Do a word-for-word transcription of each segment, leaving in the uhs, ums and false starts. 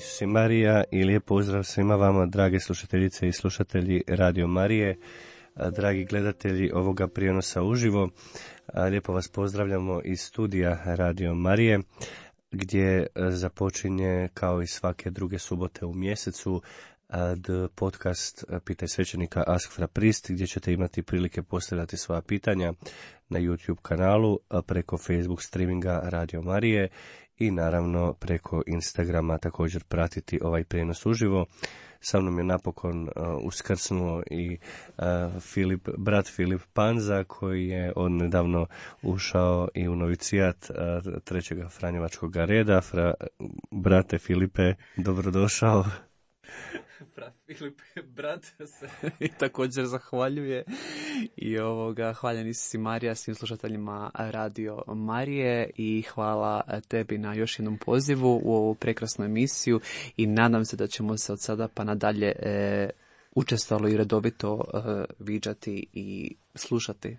Isus i Marija i lijep pozdrav svima vama, drage slušateljice i slušatelji Radio Marije, dragi gledatelji ovoga prijenosa uživo. Lijepo vas pozdravljamo iz studija Radio Marije, gdje započinje kao i svake druge subote u mjesecu podcast Pitaj svećenika Ask fra Prist, gdje ćete imati prilike postavljati svoja pitanja na YouTube kanalu, preko Facebook streaminga Radio Marije i naravno preko Instagrama također pratiti ovaj prijenos uživo. Sa mnom je napokon uh, uskrsnuo i uh, Filip, brat Filip Panza, koji je odnedavno ušao i u novicijat uh, trećega Franjevačkog reda. Fra, brate Filipe, dobrodošao. Brat Filipe, brat se i također zahvaljuje i ovoga, hvaljen Isus i Marija svim slušateljima Radio Marije i hvala tebi na još jednom pozivu u ovu prekrasnu emisiju i nadam se da ćemo se od sada pa nadalje e, učestalo i redovito e, viđati i slušati.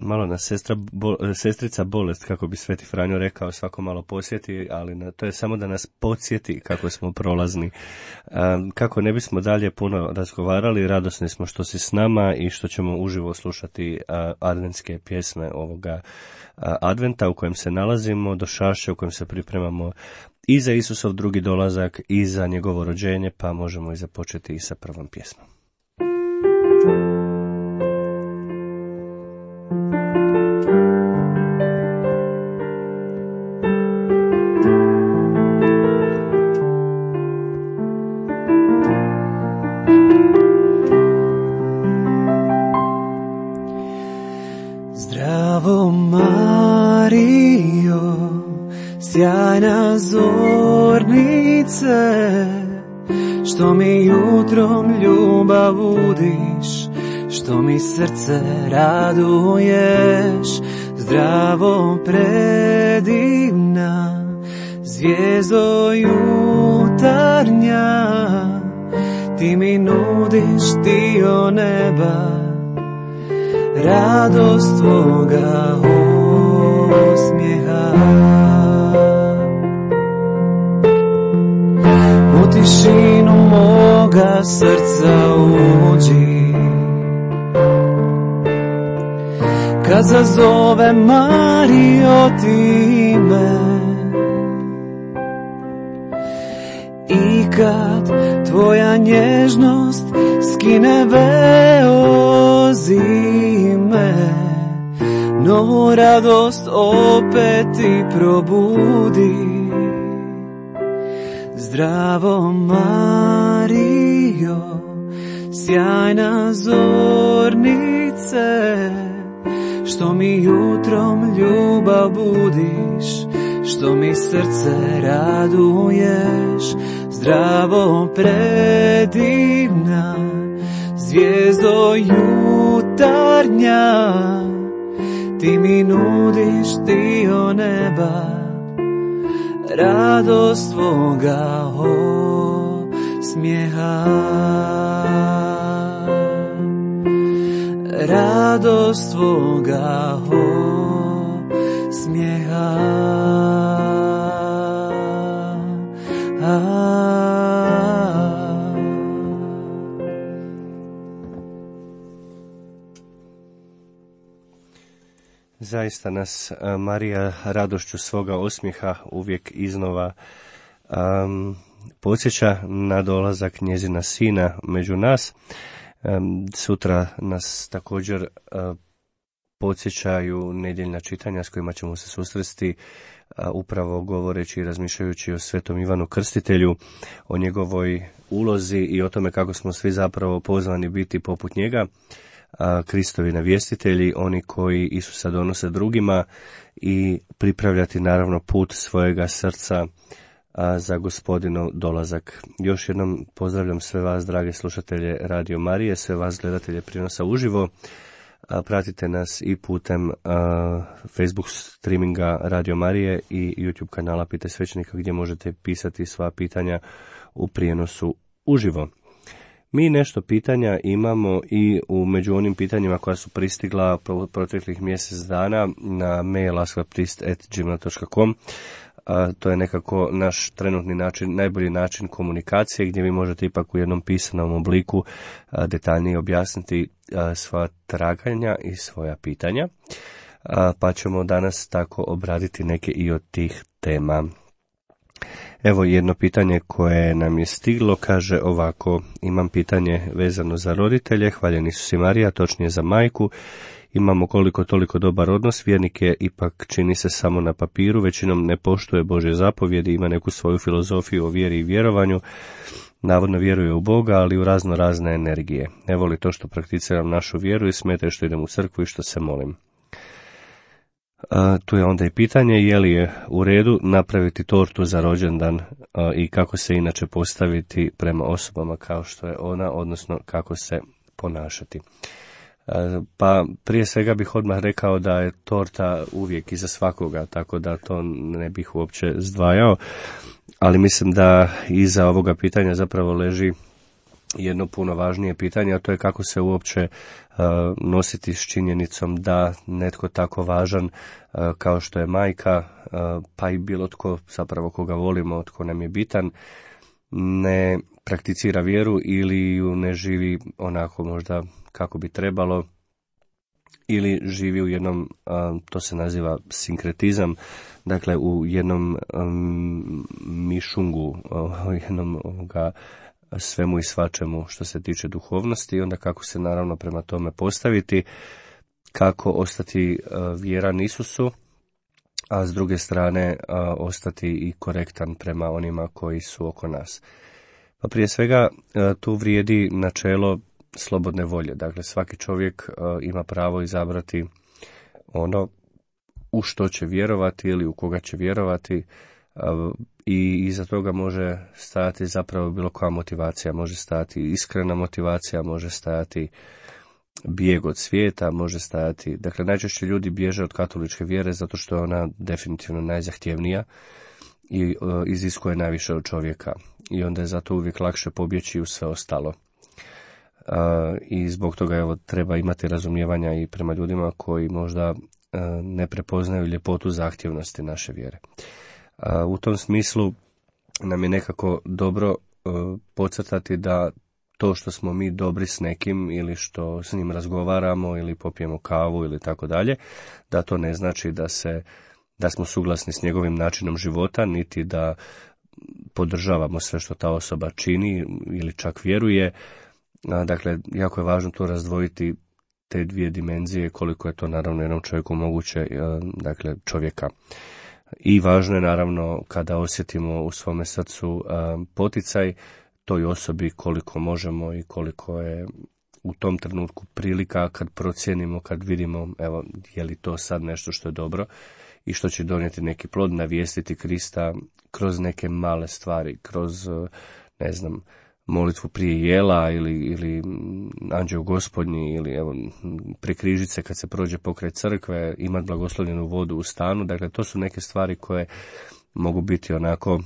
Malo nas sestra, bo, sestrica bolest, kako bi Sveti Franjo rekao, svako malo posjeti, ali na, to je samo da nas podsjeti kako smo prolazni. Um, kako ne bismo dalje puno razgovarali, radosni smo što si s nama i što ćemo uživo slušati uh, adventske pjesme ovoga uh, adventa u kojem se nalazimo, do šaše u kojem se pripremamo i za Isusov drugi dolazak i za njegovo rođenje, pa možemo i započeti i sa prvom pjesmom. Sjajna zornice, što mi jutrom ljubav budiš, što mi srce raduješ, zdravo predivna, zvijezdo jutarnja, ti mi nudiš dio neba, radost tvoga osmijeha. U tišinu moga srca uđi, kad zazove Marijo ti me, i kad tvoja nježnost skine veo zime, novu radost opet ti probudi. Zdravo Marijo, sjajna zornice, što mi jutrom ljubav budiš, što mi srce raduješ, zdravo predivna, zvijezdo jutarnja, ti mi nudiš dio neba, radost tvoga osmijeha, radost tvoga osmijeha. Zaista nas Marija radošću svoga osmijeha uvijek iznova um, podsjeća na dolazak njezina sina među nas. Um, sutra nas također uh, podsjećaju nedjeljna čitanja s kojima ćemo se susresti, uh, upravo govoreći i razmišljajući o Svetom Ivanu Krstitelju, o njegovoj ulozi i o tome kako smo svi zapravo pozvani biti poput njega. Kristovi navjestitelji, oni koji Isusa donose drugima i pripravljati naravno put svojega srca za Gospodinov dolazak. Još jednom pozdravljam sve vas, drage slušatelje Radio Marije, sve vas gledatelje prijenosa uživo. Pratite nas i putem Facebook streaminga Radio Marije i YouTube kanala Pitaj svećenika, gdje možete pisati sva pitanja u prijenosu uživo. Mi nešto pitanja imamo i u među onim pitanjima koja su pristigla proteklih mjesec dana na mail ask fra prist at gmail dot com. a, to je nekako naš trenutni način, najbolji način komunikacije, gdje vi možete ipak u jednom pisanom obliku a, detaljnije objasniti a, svoja traganja i svoja pitanja, a, pa ćemo danas tako obraditi neke i od tih tema. Evo jedno pitanje koje nam je stiglo, kaže ovako: imam pitanje vezano za roditelje, hvaljen Isus i Marija, točnije za majku. Imamo koliko toliko dobar odnos, vjernik je ipak čini se samo na papiru, većinom ne poštuje Božje zapovjedi, ima neku svoju filozofiju o vjeri i vjerovanju, navodno vjeruje u Boga, ali u razno razne energije. Ne voli to što prakticiram našu vjeru i smeta što idem u crkvu i što se molim. A, tu je onda i pitanje je li je u redu napraviti tortu za rođendan a, i kako se inače postaviti prema osobama kao što je ona, odnosno kako se ponašati. A, pa prije svega bih odmah rekao da je torta uvijek iza svakoga, tako da to ne bih uopće zdvajao, ali mislim da iza ovoga pitanja zapravo leži jedno puno važnije pitanje, a to je kako se uopće uh, nositi s činjenicom da netko tako važan uh, kao što je majka, uh, pa i bilo tko zapravo koga volimo, tko nam je bitan, ne prakticira vjeru ili ju ne živi onako možda kako bi trebalo, ili živi u jednom, uh, to se naziva sinkretizam, dakle u jednom um, mišungu, uh, jednom ovoga svemu i svačemu što se tiče duhovnosti, i onda kako se naravno prema tome postaviti, kako ostati uh, vjeran Isusu, a s druge strane uh, ostati i korektan prema onima koji su oko nas. Pa prije svega uh, tu vrijedi načelo slobodne volje, dakle svaki čovjek uh, ima pravo izabrati ono u što će vjerovati ili u koga će vjerovati, i iza toga može stajati zapravo bilo koja motivacija, može stajati iskrena motivacija, može stajati bijeg od svijeta, može stajati, dakle najčešće ljudi bježe od katoličke vjere zato što je ona definitivno najzahtjevnija i uh, iziskuje najviše od čovjeka, i onda je zato uvijek lakše pobjeći u sve ostalo. Uh, i zbog toga evo treba imati razumijevanja i prema ljudima koji možda uh, ne prepoznaju ljepotu zahtjevnosti naše vjere. U tom smislu nam je nekako dobro uh, podcrtati da to što smo mi dobri s nekim ili što s njim razgovaramo ili popijemo kavu ili tako dalje, da to ne znači da se da smo suglasni s njegovim načinom života, niti da podržavamo sve što ta osoba čini ili čak vjeruje. A, dakle, jako je važno to razdvojiti, te dvije dimenzije, koliko je to naravno jednom čovjeku moguće, uh, dakle čovjeka. I važno je naravno kada osjetimo u svome srcu a, poticaj toj osobi koliko možemo i koliko je u tom trenutku prilika, kad procijenimo, kad vidimo evo je li to sad nešto što je dobro i što će donijeti neki plod, navijestiti Krista kroz neke male stvari, kroz ne znam molitvu prije jela ili, ili anđeo gospodnji ili evo pri križice kad se prođe pokraj crkve, imati blagoslovljenu vodu u stanu. Dakle, to su neke stvari koje mogu biti onako,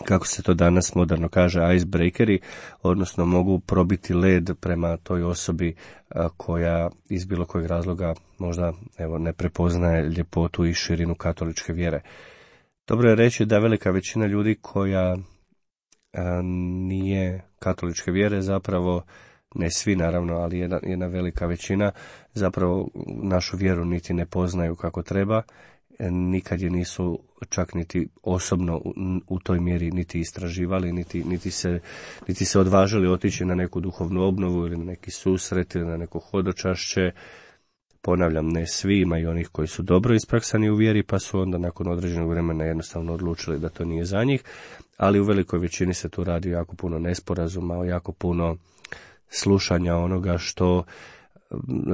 kako se to danas moderno kaže, icebreakeri, odnosno mogu probiti led prema toj osobi a, koja iz bilo kojeg razloga možda evo ne prepoznaje ljepotu i širinu katoličke vjere. Dobro je reći da velika većina ljudi koja nije katoličke vjere, zapravo ne svi naravno, ali jedna, jedna velika većina zapravo našu vjeru niti ne poznaju kako treba, nikad je nisu čak niti osobno u, u toj mjeri niti istraživali, niti, niti, se, niti se odvažili otići na neku duhovnu obnovu ili na neki susret ili na neko hodočašće. Ponavljam, ne svi, ima i onih koji su dobro ispraksani u vjeri, pa su onda nakon određenog vremena jednostavno odlučili da to nije za njih, ali u velikoj većini se tu radi jako puno nesporazuma, jako puno slušanja onoga što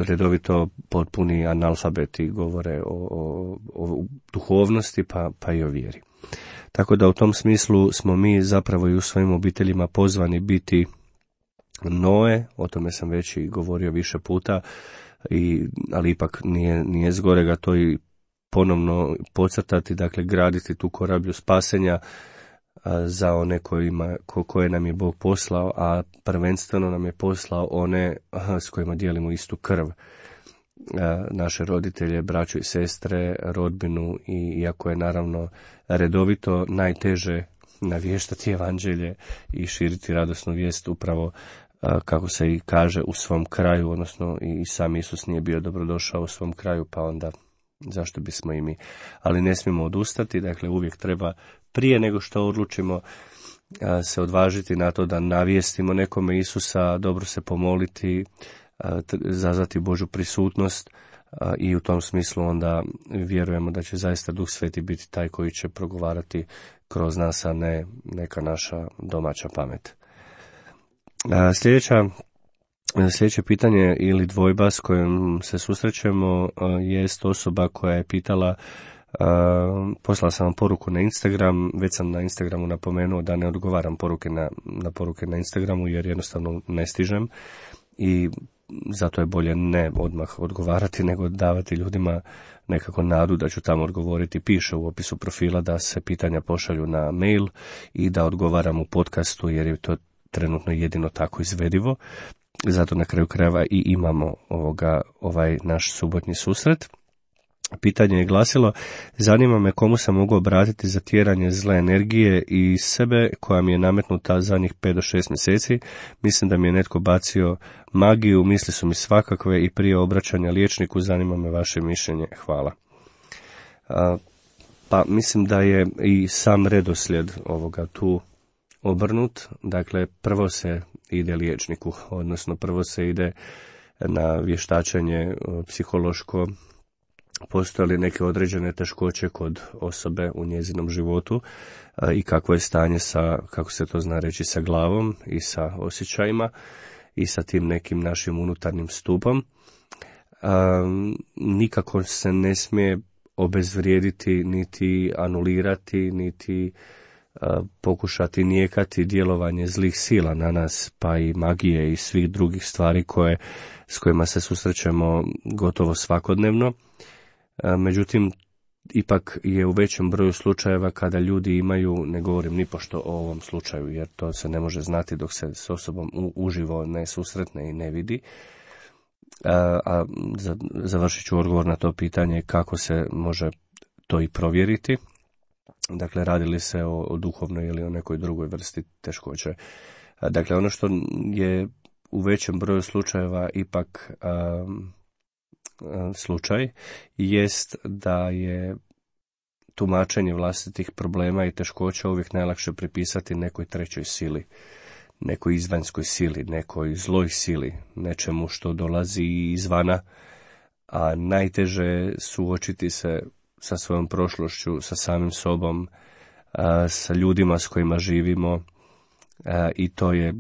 redovito potpuni analfabeti govore o, o, o duhovnosti, pa, pa i o vjeri. Tako da u tom smislu smo mi zapravo i u svojim obiteljima pozvani biti Noe, o tome sam već i govorio više puta, I, ali ipak nije, nije zgorega to i ponovno podcrtati, dakle graditi tu korablju spasenja a, za one kojima, ko, koje nam je Bog poslao, a prvenstveno nam je poslao one a, s kojima dijelimo istu krv. naše roditelje, braću i sestre, rodbinu, i iako je naravno redovito najteže navještati evanđelje i širiti radosnu vijest upravo kako se i kaže u svom kraju, odnosno i sam Isus nije bio dobrodošao u svom kraju, pa onda zašto bismo i mi. Ali ne smijemo odustati, dakle uvijek treba prije nego što odlučimo se odvažiti na to da navijestimo nekome Isusa, dobro se pomoliti, zazvati Božju prisutnost, i u tom smislu onda vjerujemo da će zaista Duh Sveti biti taj koji će progovarati kroz nas, a ne neka naša domaća pamet. Sljedeća, sljedeće pitanje ili dvojba s kojom se susrećemo jest osoba koja je pitala, poslala sam vam poruku na Instagram, već sam na Instagramu napomenuo da ne odgovaram poruke na, na poruke na Instagramu jer jednostavno ne stižem i zato je bolje ne odmah odgovarati nego davati ljudima nekako nadu da ću tamo odgovoriti. Piše u opisu profila da se pitanja pošalju na mail i da odgovaram u podcastu jer je to trenutno jedino tako izvedivo. Zato na kraju krajeva i imamo ovoga, ovaj naš subotnji susret. Pitanje je glasilo: zanima me komu se mogu obratiti za tjeranje zle energije iz sebe koja mi je nametnuta zadnjih pet do šest mjeseci. Mislim da mi je netko bacio magiju, misli su mi svakakve i prije obraćanja liječniku zanima me vaše mišljenje. Hvala. A, pa mislim da je i sam redoslijed ovoga tu obrnut. Dakle, prvo se ide liječniku, odnosno prvo se ide na vještačenje psihološko. Postoje li neke određene teškoće kod osobe u njezinom životu i kakvo je stanje sa, kako se to zna reći, sa glavom i sa osjećajima i sa tim nekim našim unutarnjim stupom. Nikako se ne smije obezvrijediti, niti anulirati, niti pokušati nijekati djelovanje zlih sila na nas, pa i magije i svih drugih stvari koje, s kojima se susrećemo gotovo svakodnevno. Međutim, ipak je u većem broju slučajeva kada ljudi imaju, ne govorim nipošto o ovom slučaju, jer to se ne može znati dok se s osobom uživo ne susretne i ne vidi. A, a završit ću odgovor na to pitanje kako se može to i provjeriti. Dakle, radi li se o, o duhovnoj ili o nekoj drugoj vrsti teškoće. A, dakle, ono što je u većem broju slučajeva ipak a, slučaj jest da je tumačenje vlastitih problema i teškoća uvijek najlakše pripisati nekoj trećoj sili, nekoj izvanjskoj sili, nekoj zloj sili, nečemu što dolazi izvana, a najteže suočiti se sa svojom prošlošću, sa samim sobom, sa ljudima s kojima živimo, i to je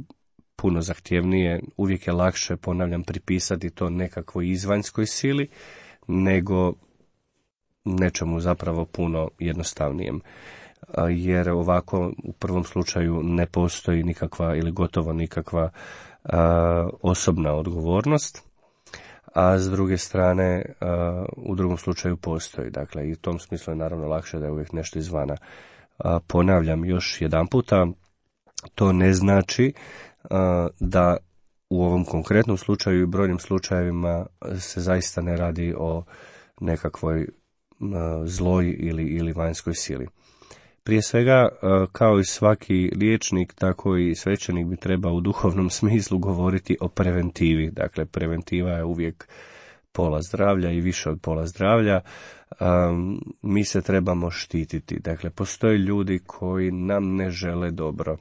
puno zahtjevnije. Uvijek je lakše, ponavljam, pripisati to nekakvoj izvanjskoj sili nego nečemu zapravo puno jednostavnijem. Jer ovako u prvom slučaju ne postoji nikakva ili gotovo nikakva a, osobna odgovornost, a s druge strane a, u drugom slučaju postoji. Dakle, i u tom smislu je naravno lakše da je uvijek nešto izvana. A, ponavljam još jedan puta, to ne znači da u ovom konkretnom slučaju i brojnim slučajevima se zaista ne radi o nekakvoj zloj ili, ili vanjskoj sili. Prije svega, kao i svaki liječnik, tako i svećenik bi trebao u duhovnom smislu govoriti o preventivi. Dakle, preventiva je uvijek pola zdravlja i više od pola zdravlja. Um, mi se trebamo štititi. Dakle, postoje ljudi koji nam ne žele dobro.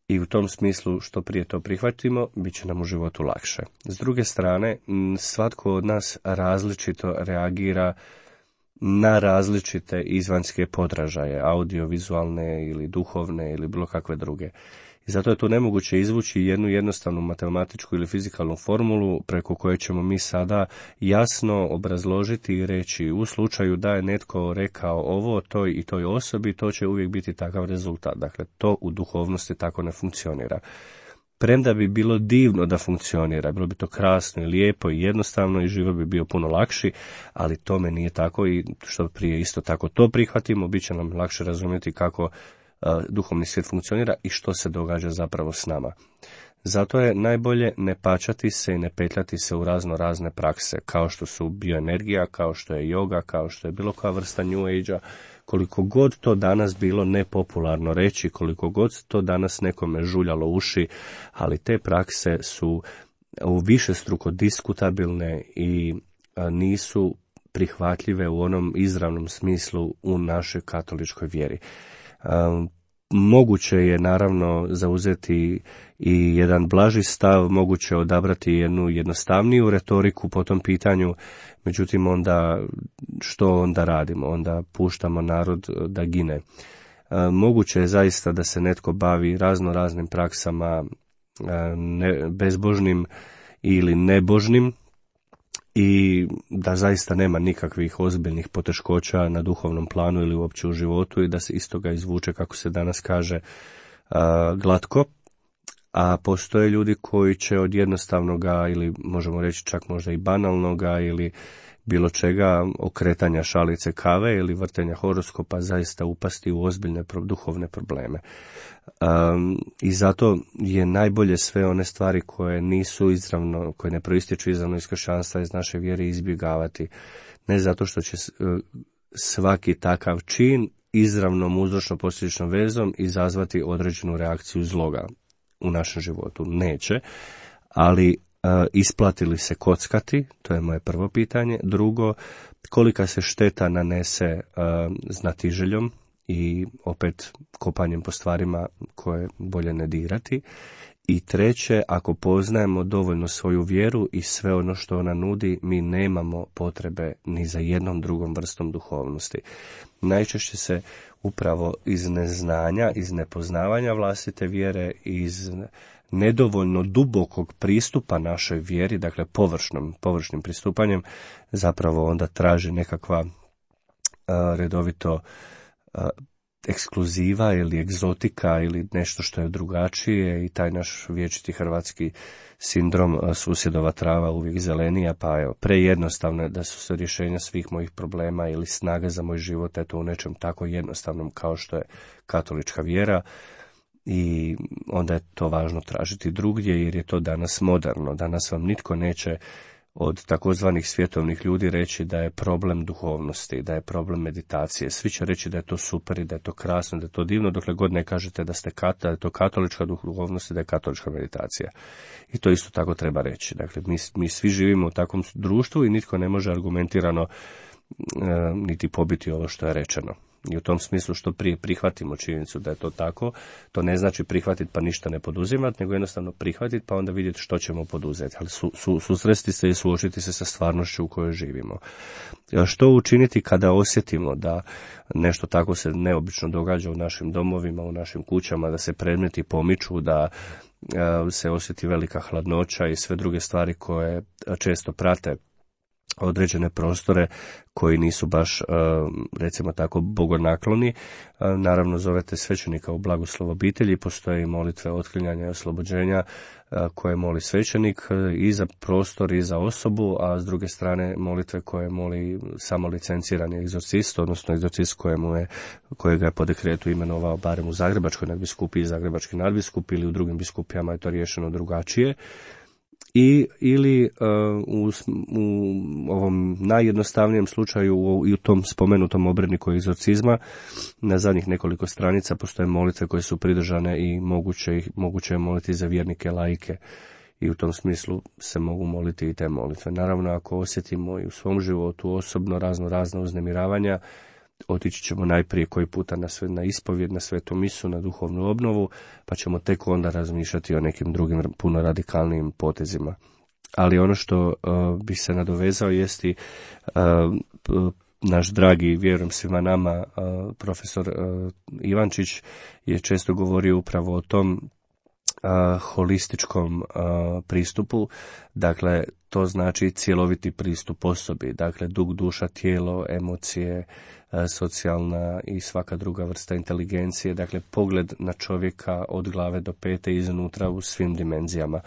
I u tom smislu što prije to prihvatimo, bit će nam u životu lakše. S druge strane, svatko od nas različito reagira na različite izvanjske podražaje, audiovizualne ili duhovne ili bilo kakve druge. I zato je tu nemoguće izvući jednu jednostavnu matematičku ili fizikalnu formulu preko koje ćemo mi sada jasno obrazložiti i reći u slučaju da je netko rekao ovo toj i toj osobi, to će uvijek biti takav rezultat. Dakle, to u duhovnosti tako ne funkcionira. Premda bi bilo divno da funkcionira, bilo bi to krasno i lijepo i jednostavno i život bi bio puno lakši, ali tome nije tako i što prije isto tako to prihvatimo, bit će nam lakše razumjeti kako duhovni svijet funkcionira i što se događa zapravo s nama. Zato je najbolje ne pačati se i ne petljati se u razno razne prakse, kao što su bioenergija, kao što je yoga, kao što je bilo koja vrsta New Age-a, koliko god to danas bilo nepopularno reći, koliko god to danas nekome žuljalo uši, ali te prakse su u višestruko diskutabilne i nisu prihvatljive u onom izravnom smislu u našoj katoličkoj vjeri. Moguće je naravno zauzeti i jedan blaži stav, moguće odabrati jednu jednostavniju retoriku po tom pitanju, međutim onda što onda radimo? Onda puštamo narod da gine. Moguće je zaista da se netko bavi razno raznim praksama ne, bezbožnim ili nebožnim i da zaista nema nikakvih ozbiljnih poteškoća na duhovnom planu ili uopće u životu i da se iz toga izvuče, kako se danas kaže, glatko. A postoje ljudi koji će od jednostavnoga ili možemo reći čak možda i banalnoga ili bilo čega, okretanja šalice kave ili vrtenja horoskopa, zaista upasti u ozbiljne duhovne probleme. Um, I zato je najbolje sve one stvari koje nisu izravno, koje ne proistječu izravno iz kršćanstva, iz naše vjere, izbjegavati. Ne zato što će uh, svaki takav čin izravnom uzročno posljedičnom vezom izazvati određenu reakciju zloga u našem životu. Neće, ali uh, isplati li se kockati, to je moje prvo pitanje. Drugo, kolika se šteta nanese uh, znatiželjom i opet kopanjem po stvarima koje bolje ne dirati. I treće, ako poznajemo dovoljno svoju vjeru i sve ono što ona nudi, mi nemamo potrebe ni za jednom drugom vrstom duhovnosti. Najčešće se upravo iz neznanja, iz nepoznavanja vlastite vjere, iz nedovoljno dubokog pristupa našoj vjeri, dakle površnom, površnim pristupanjem, zapravo onda traži nekakva uh, redovito uh, ekskluziva ili egzotika ili nešto što je drugačije i taj naš vječiti hrvatski sindrom susjedova trava uvijek zelenija, pa evo, prejednostavno je da su se rješenja svih mojih problema ili snaga za moj život eto u nečem tako jednostavnom kao što je katolička vjera i onda je to važno tražiti drugdje jer je to danas moderno. Danas vam nitko neće od takozvanih svjetovnih ljudi reći da je problem duhovnosti, da je problem meditacije. Svi će reći da je to super i da je to krasno, da je to divno, dokle god ne kažete da ste kat, da je to katolička duhovnost i da je katolička meditacija. I to isto tako treba reći. Dakle, mi, mi svi živimo u takvom društvu i nitko ne može argumentirano e, niti pobiti ovo što je rečeno. I u tom smislu što prije prihvatimo činjenicu da je to tako, to ne znači prihvatiti pa ništa ne poduzimati, nego jednostavno prihvatiti pa onda vidjeti što ćemo poduzeti. Ali su, su, susresti se i suočiti se sa stvarnošću u kojoj živimo. Što učiniti kada osjetimo da nešto tako se neobično događa u našim domovima, u našim kućama, da se predmeti pomiču, da se osjeti velika hladnoća i sve druge stvari koje često prate određene prostore koji nisu baš, recimo tako, bogonakloni. Naravno, zovete svećenika u blagoslov obitelji, postoje i molitve otklanjanja i oslobođenja koje moli svećenik i za prostor i za osobu, a s druge strane molitve koje moli samo licencirani egzorcist, odnosno egzorcist kojemu je, kojega je po dekretu imenovao barem u Zagrebačkoj nadbiskupiji i Zagrebački nadbiskup ili u drugim biskupijama je to riješeno drugačije. I, ili uh, u, u ovom najjednostavnijem slučaju u, i u tom spomenutom obredniku egzorcizma na zadnjih nekoliko stranica postoje molitve koje su pridržane i moguće, moguće je moliti za vjernike laike i u tom smislu se mogu moliti i te molitve. Naravno, ako osjetimo i u svom životu osobno razno razna uznemiravanja, otići ćemo najprije koji puta na, sve, na ispovjed, na svetu misu, na duhovnu obnovu, pa ćemo tek onda razmišljati o nekim drugim puno radikalnijim potezima. Ali ono što uh, bi se nadovezao jesti uh, naš dragi, vjerujem svima nama, uh, profesor uh, Ivančić je često govorio upravo o tom Uh, holističkom uh, pristupu, dakle to znači cjeloviti pristup osobi, dakle duh, duša, tijelo, emocije, uh, socijalna i svaka druga vrsta inteligencije, dakle pogled na čovjeka od glave do pete iznutra u svim dimenzijama.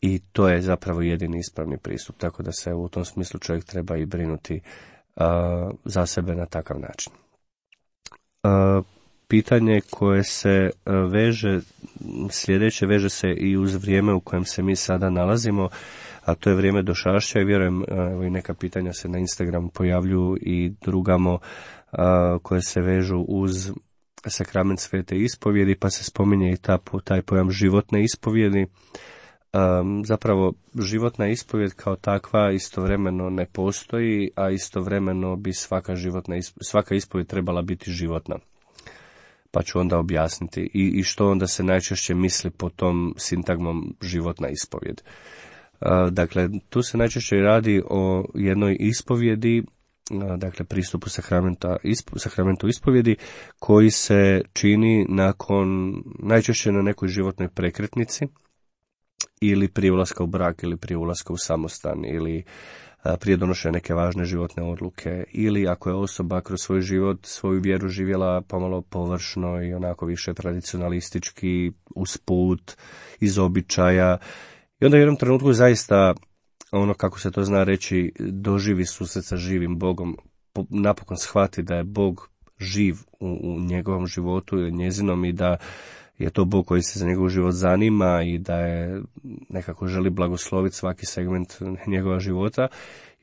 I to je zapravo jedini ispravni pristup, tako da se u tom smislu čovjek treba i brinuti uh, za sebe na takav način. Uh, Pitanje koje se veže sljedeće veže se i uz vrijeme u kojem se mi sada nalazimo, a to je vrijeme došašća i vjerujem, evo i neka pitanja se na Instagramu pojavljuju i drugamo a, koje se vežu uz sakrament svete ispovjedi, pa se spominje i ta, taj pojam životne ispovjedi. Um, zapravo životna ispovjed kao takva istovremeno ne postoji, a istovremeno bi svaka životna ispovjed, svaka ispovjed trebala biti životna. Pa ću onda objasniti i, i što onda se najčešće misli po tom sintagmom životna ispovjed. Uh, dakle, tu se najčešće radi o jednoj ispovjedi, uh, dakle pristupu sakramenta, ispo, sakramentu ispovjedi koji se čini nakon, najčešće na nekoj životnoj prekretnici, ili prije ulaska u brak, ili prije ulaska u samostan, ili a, prije donošenja neke važne životne odluke, ili ako je osoba kroz svoj život, svoju vjeru živjela pomalo površno i onako više tradicionalistički, usput, iz običaja. I onda u jednom trenutku zaista, ono kako se to zna reći, doživi susret sa živim Bogom, po, napokon shvati da je Bog živ u, u njegovom životu ili njezinom i da je to Bog koji se za njegov život zanima i da je nekako želi blagosloviti svaki segment njegova života.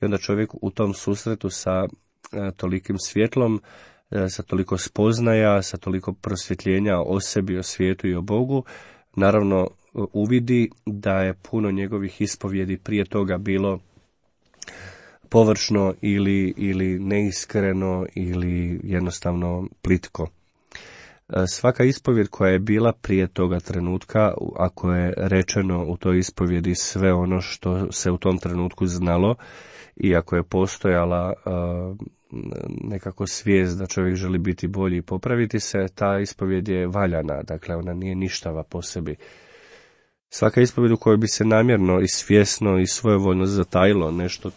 I onda čovjek u tom susretu sa e, tolikim svjetlom, e, sa toliko spoznaja, sa toliko prosvjetljenja o sebi, o svijetu i o Bogu, naravno uvidi da je puno njegovih ispovjedi prije toga bilo površno ili, ili neiskreno ili jednostavno plitko. Svaka ispovjed koja je bila prije toga trenutka, ako je rečeno u toj ispovjedi sve ono što se u tom trenutku znalo i ako je postojala uh, nekako svijest da čovjek želi biti bolji i popraviti se, ta ispovjed je valjana, dakle ona nije ništava po sebi. Svaka ispovjed u kojoj bi se namjerno i svjesno i svojevoljno zatajilo nešto,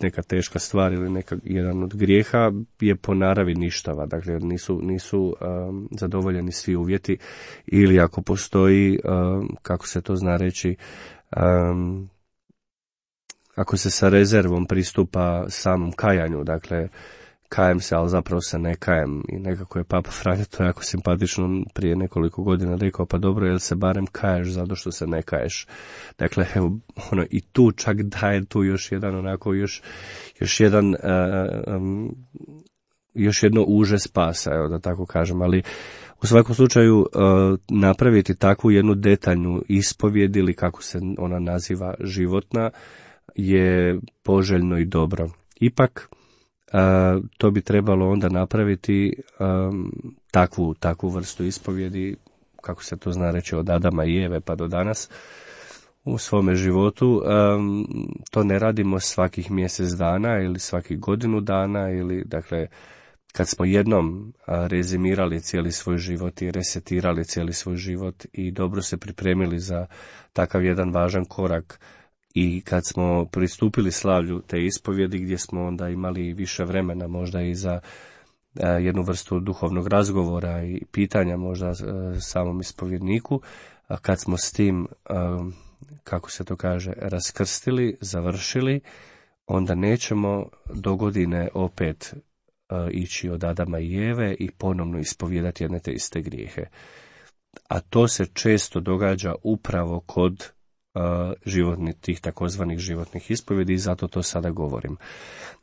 neka teška stvar ili neka, jedan od grijeha je po naravi ništava, dakle nisu, nisu um, zadovoljeni svi uvjeti ili ako postoji, um, kako se to zna reći, um, ako se sa rezervom pristupa samom kajanju, dakle kajem se, ali zapravo se ne kajem i nekako je Papa Franjo to jako simpatično prije nekoliko godina rekao, pa dobro, jel se barem kaješ zato što se ne kaješ. Dakle, evo, ono, i tu čak daje tu još jedan onako, još, još jedan, uh, um, još jedno uže spasa, evo da tako kažem, ali u svakom slučaju uh, napraviti takvu jednu detaljnu ispovjed ili kako se ona naziva životna je poželjno i dobro. Ipak, Uh, to bi trebalo onda napraviti um, takvu, takvu vrstu ispovjedi, kako se to zna reći, od Adama i Eve pa do danas u svome životu. Um, to ne radimo svakih mjesec dana ili svakih godinu dana ili, dakle, kad smo jednom uh, rezimirali cijeli svoj život i resetirali cijeli svoj život i dobro se pripremili za takav jedan važan korak. I kad smo pristupili slavlju te ispovjedi gdje smo onda imali više vremena možda i za a, jednu vrstu duhovnog razgovora i pitanja možda a, samom ispovjedniku, a kad smo s tim, a, kako se to kaže, raskrstili, završili, onda nećemo do godine opet a, ići od Adama i Eve i ponovno ispovjedati jedne te iste grijehe. A to se često događa upravo kod Uh, životni, tih takozvanih životnih ispovjedi i zato to sada govorim.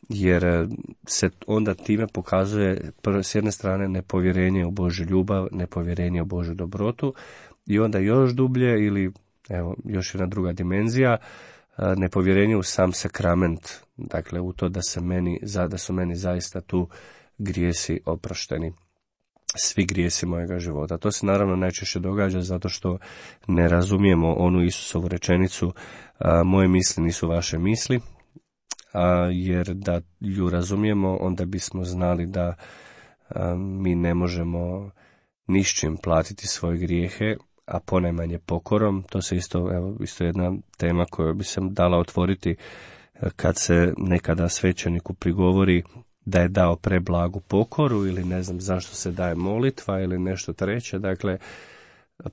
Jer se onda time pokazuje s jedne strane nepovjerenje u Božju ljubav, nepovjerenje u Božju dobrotu i onda još dublje ili evo još jedna druga dimenzija, uh, nepovjerenje u sam sakrament, dakle u to da se meni, da su meni zaista tu grijesi oprošteni. Svi grijesi mojega života. To se naravno najčešće događa zato što ne razumijemo onu Isusovu rečenicu a, moje misli nisu vaše misli, a, jer da ju razumijemo onda bismo znali da a, mi ne možemo ničim platiti svoje grijehe, a ponajmanje pokorom. To se isto, evo, isto jedna tema koju bi se dala otvoriti kad se nekada svećeniku prigovori da je dao preblagu pokoru ili ne znam zašto se daje molitva ili nešto treće. Dakle,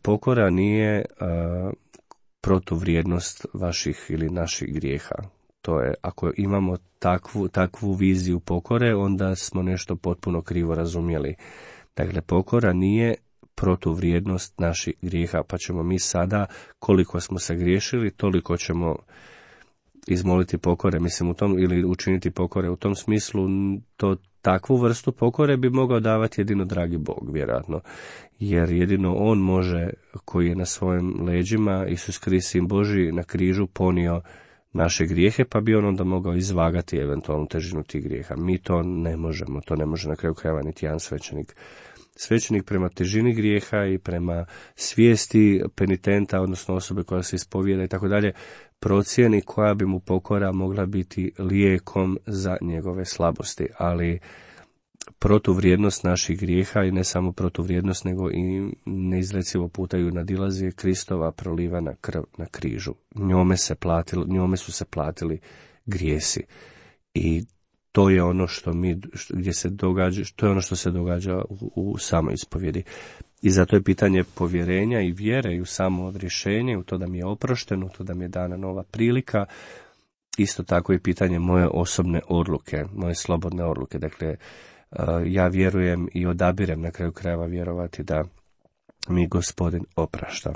pokora nije a, protuvrijednost vaših ili naših grijeha. To je, ako imamo takvu, takvu viziju pokore, onda smo nešto potpuno krivo razumjeli. Dakle, pokora nije protuvrijednost naših grijeha, pa ćemo mi sada, koliko smo se griješili, toliko ćemo izmoliti pokore, mislim u tom, ili učiniti pokore. U tom smislu to takvu vrstu pokore bi mogao davati jedino dragi Bog, vjerojatno. Jer jedino On može, koji je na svojim leđima, Isus Krist, Sin Božji, na križu ponio naše grijehe, pa bi on onda mogao izvagati eventualnu težinu tih grijeha. Mi to ne možemo, to ne može na kraju krajeva niti jedan svećenik. Svećenik prema težini grijeha i prema svijesti penitenta, odnosno osobe koja se ispovijeda i tako dalje, procijeni koja bi mu pokora mogla biti lijekom za njegove slabosti. Ali protuvrijednost naših grijeha, i ne samo protuvrijednost, nego i neizrecivo puta ju nadilazi, Kristova prolivana krv na križu. Njome, se platilo, njome su se platili grijesi. I to je ono što mi, gdje se događa, to je ono što se događa u, u samoj ispovjedi. I zato je pitanje povjerenja i vjere i u samo odrješenje, u to da mi je oprošteno, u to da mi je dana nova prilika. Isto tako i pitanje moje osobne odluke, moje slobodne odluke. Dakle, ja vjerujem i odabirem na kraju krajeva vjerovati da mi Gospodin oprašta.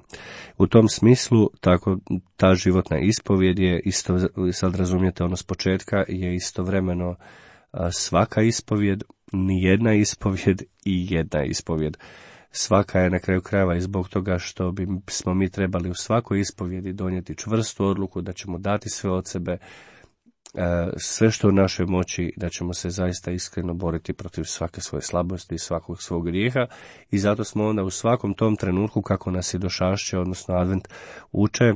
U tom smislu, tako ta životna ispovjed je isto, sad razumijete ono s početka, je istovremeno svaka ispovjed, ni jedna ispovjed i jedna ispovjed. Svaka je na kraju krajeva i zbog toga što bi smo mi trebali u svakoj ispovjedi donijeti čvrstu odluku da ćemo dati sve od sebe, sve što u našoj moći, da ćemo se zaista iskreno boriti protiv svake svoje slabosti i svakog svog grijeha. I zato smo onda u svakom tom trenutku, kako nas i došašće, odnosno Advent uče,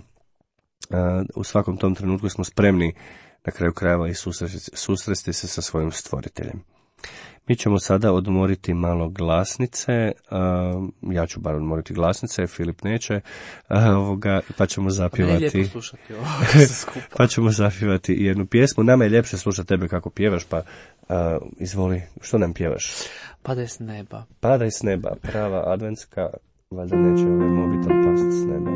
u svakom tom trenutku smo spremni na kraju krajeva i susresti, susresti se sa svojim stvoriteljem. Mi ćemo sada odmoriti malo glasnice, ja ću bar odmoriti glasnice, Filip neće, ovoga, pa ćemo zapjevati, pa ćemo zapjevati jednu pjesmu. Nama je ljepše slušati tebe kako pjevaš, pa uh, izvoli, što nam pjevaš? Padaj s neba. Padaj s neba, prava adventska, valjda neće ovaj mobitel pasti s neba.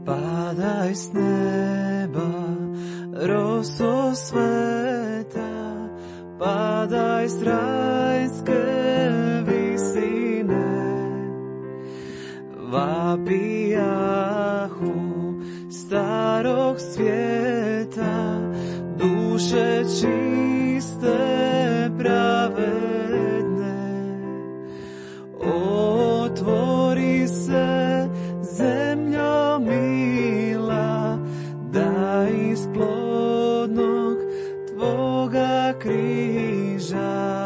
Padaj s neba, roso sveta, padaj s rajske visine, vapijahu starog svijeta, duše čiste pravedne. Otvori se zemljo mila, da iz plodnog tvoga križa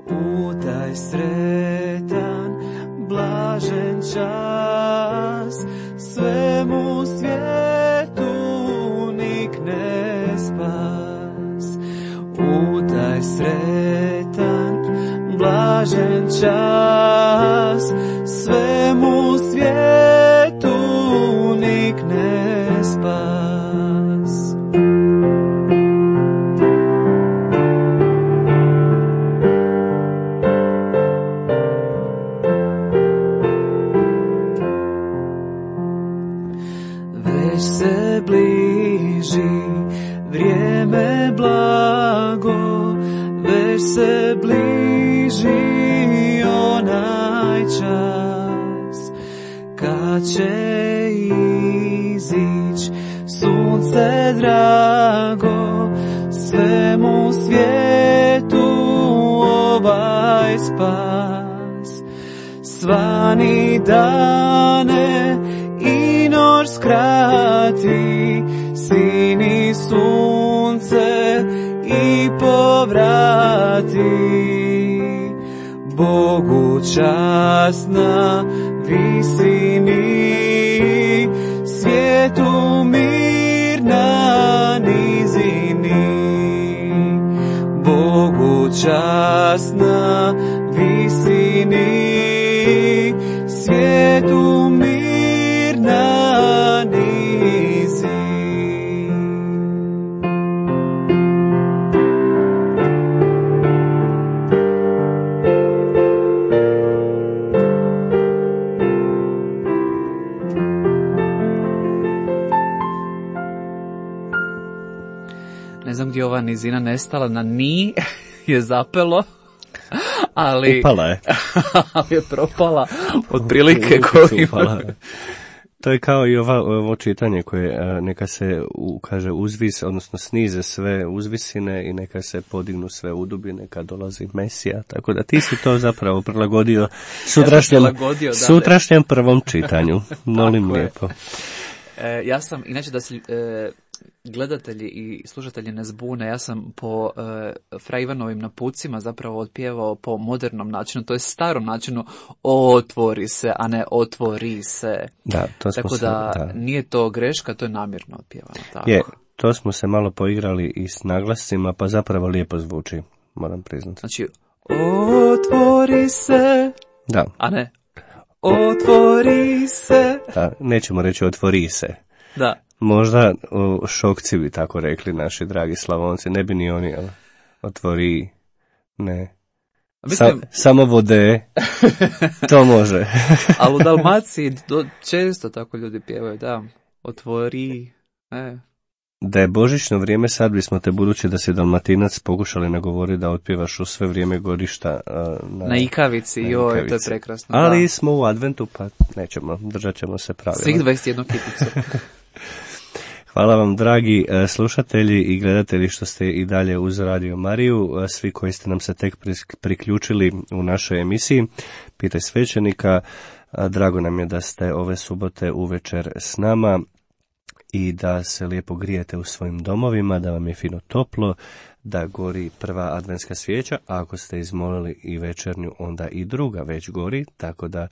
u taj sretan blažen čas svemu svijetu nikne spas. U taj sretan blažen čas svemu svijetu nikne spas. Već se bliži vrijeme blago, već se bliži onaj čas kad će izić sunce drago, svemu svijetu ovaj spas. Svani dane i noć skrati, sini sunce i povrati. Bogu čast na visini, svijetu mir na nizini. Bogu čast na visini, svijetu mir na nizini. ne znam gdje ova nizina nestala, na ni je zapelo, ali... Upala je. ali je propala, otprilike koji... To je kao i ova, ovo čitanje koje neka se u, kaže uzvis, odnosno snize sve uzvisine i neka se podignu sve udubine kad dolazi Mesija. Tako da ti si to zapravo prilagodio sutrašnjem, ja prilagodio, sutrašnjem prvom čitanju. Molim lijepo. E, ja sam, inače da se e, gledatelji i slušatelji ne zbune, ja sam po e, Fra Ivanovim napucima zapravo otpjevao po modernom načinu, to je starom načinu otvori se, a ne otvori se. Da, to smo tako se, da, da nije to greška, to je namjerno otpjevano. Tako. Je, to smo se malo poigrali i s naglascima, pa zapravo lijepo zvuči, moram priznati. Znači, otvori se, da. A ne, otvori se. Da, nećemo reći otvori se. Da. Možda o, šokci bi tako rekli naši dragi Slavonci, ne bi ni oni ali, otvori, ne. Mislim... Sa, samo vode, to može. Ali u Dalmaciji do, često tako ljudi pjevaju, da, otvori, e. Da je božićno vrijeme, sad bismo te, budući da si Dalmatinac, pokušali nagovoriti da otpjevaš u sve vrijeme godišta. Uh, na, na ikavici, na joj, ikavici. To je prekrasno. Ali da. Smo u adventu, pa nećemo, držat ćemo se pravila. Svih dvadeset jednu kiticu. Hvala vam, dragi slušatelji i gledatelji, što ste i dalje uz Radio Mariju, svi koji ste nam se tek priključili u našoj emisiji Pitaj svećenika. Drago nam je da ste ove subote uvečer s nama i da se lijepo grijete u svojim domovima, da vam je fino toplo, da gori prva adventska svijeća, a ako ste izmolili i večernju, onda i druga već gori, tako da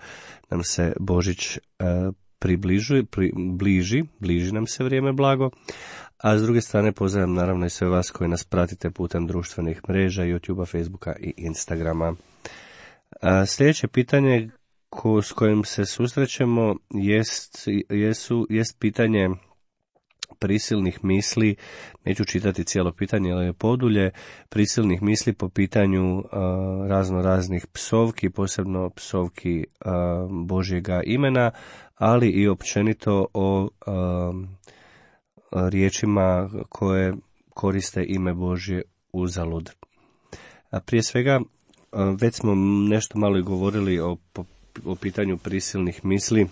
nam se Božić uh, približuje, pri, bliži, bliži nam se vrijeme blago, a s druge strane pozdravljam naravno i sve vas koji nas pratite putem društvenih mreža, YouTubea, Facebooka i Instagrama. A sljedeće pitanje ko, s kojim se susrećemo jest, jesu, jest pitanje prisilnih misli, neću čitati cijelo pitanje, ali je podulje, prisilnih misli po pitanju uh, razno raznih psovki, posebno psovki uh, Božjega imena, ali i općenito o uh, riječima koje koriste ime Božje uzalud. A prije svega, uh, već smo nešto malo i govorili o, o pitanju prisilnih misli,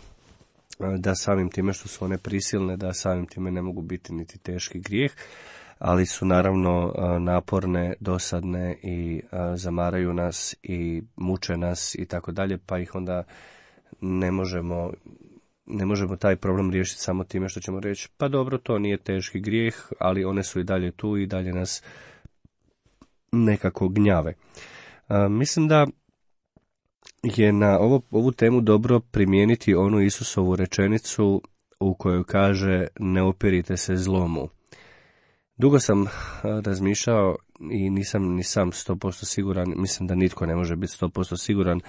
da samim time što su one prisilne, da samim time ne mogu biti niti teški grijeh, ali su naravno naporne, dosadne i zamaraju nas i muče nas i tako dalje, pa ih onda ne možemo, ne možemo taj problem riješiti samo time što ćemo reći, pa dobro, to nije teški grijeh, ali one su i dalje tu i dalje nas nekako gnjave. Mislim da je na ovo, ovu temu dobro primijeniti onu Isusovu rečenicu u kojoj kaže ne opirite se zlomu. Dugo sam razmišljao i nisam ni sam sto posto siguran, mislim da nitko ne može biti sto posto siguran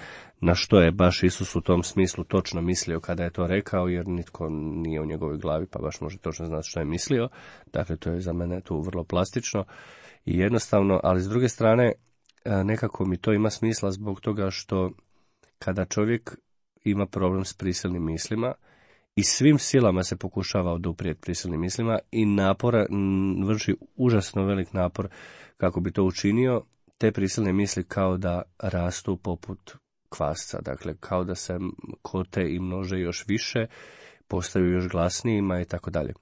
na što je baš Isus u tom smislu točno mislio kada je to rekao, jer nitko nije u njegovoj glavi pa baš može točno znati što je mislio. Dakle, to je za mene tu vrlo plastično i jednostavno, ali s druge strane nekako mi to ima smisla zbog toga što kada čovjek ima problem s prisilnim mislima i svim silama se pokušava oduprijeti prisilnim mislima i napora, vrši užasno velik napor kako bi to učinio, te prisilne misli kao da rastu poput kvasca, dakle kao da se kote i množe još više, postaju još glasnijima i tako dalje.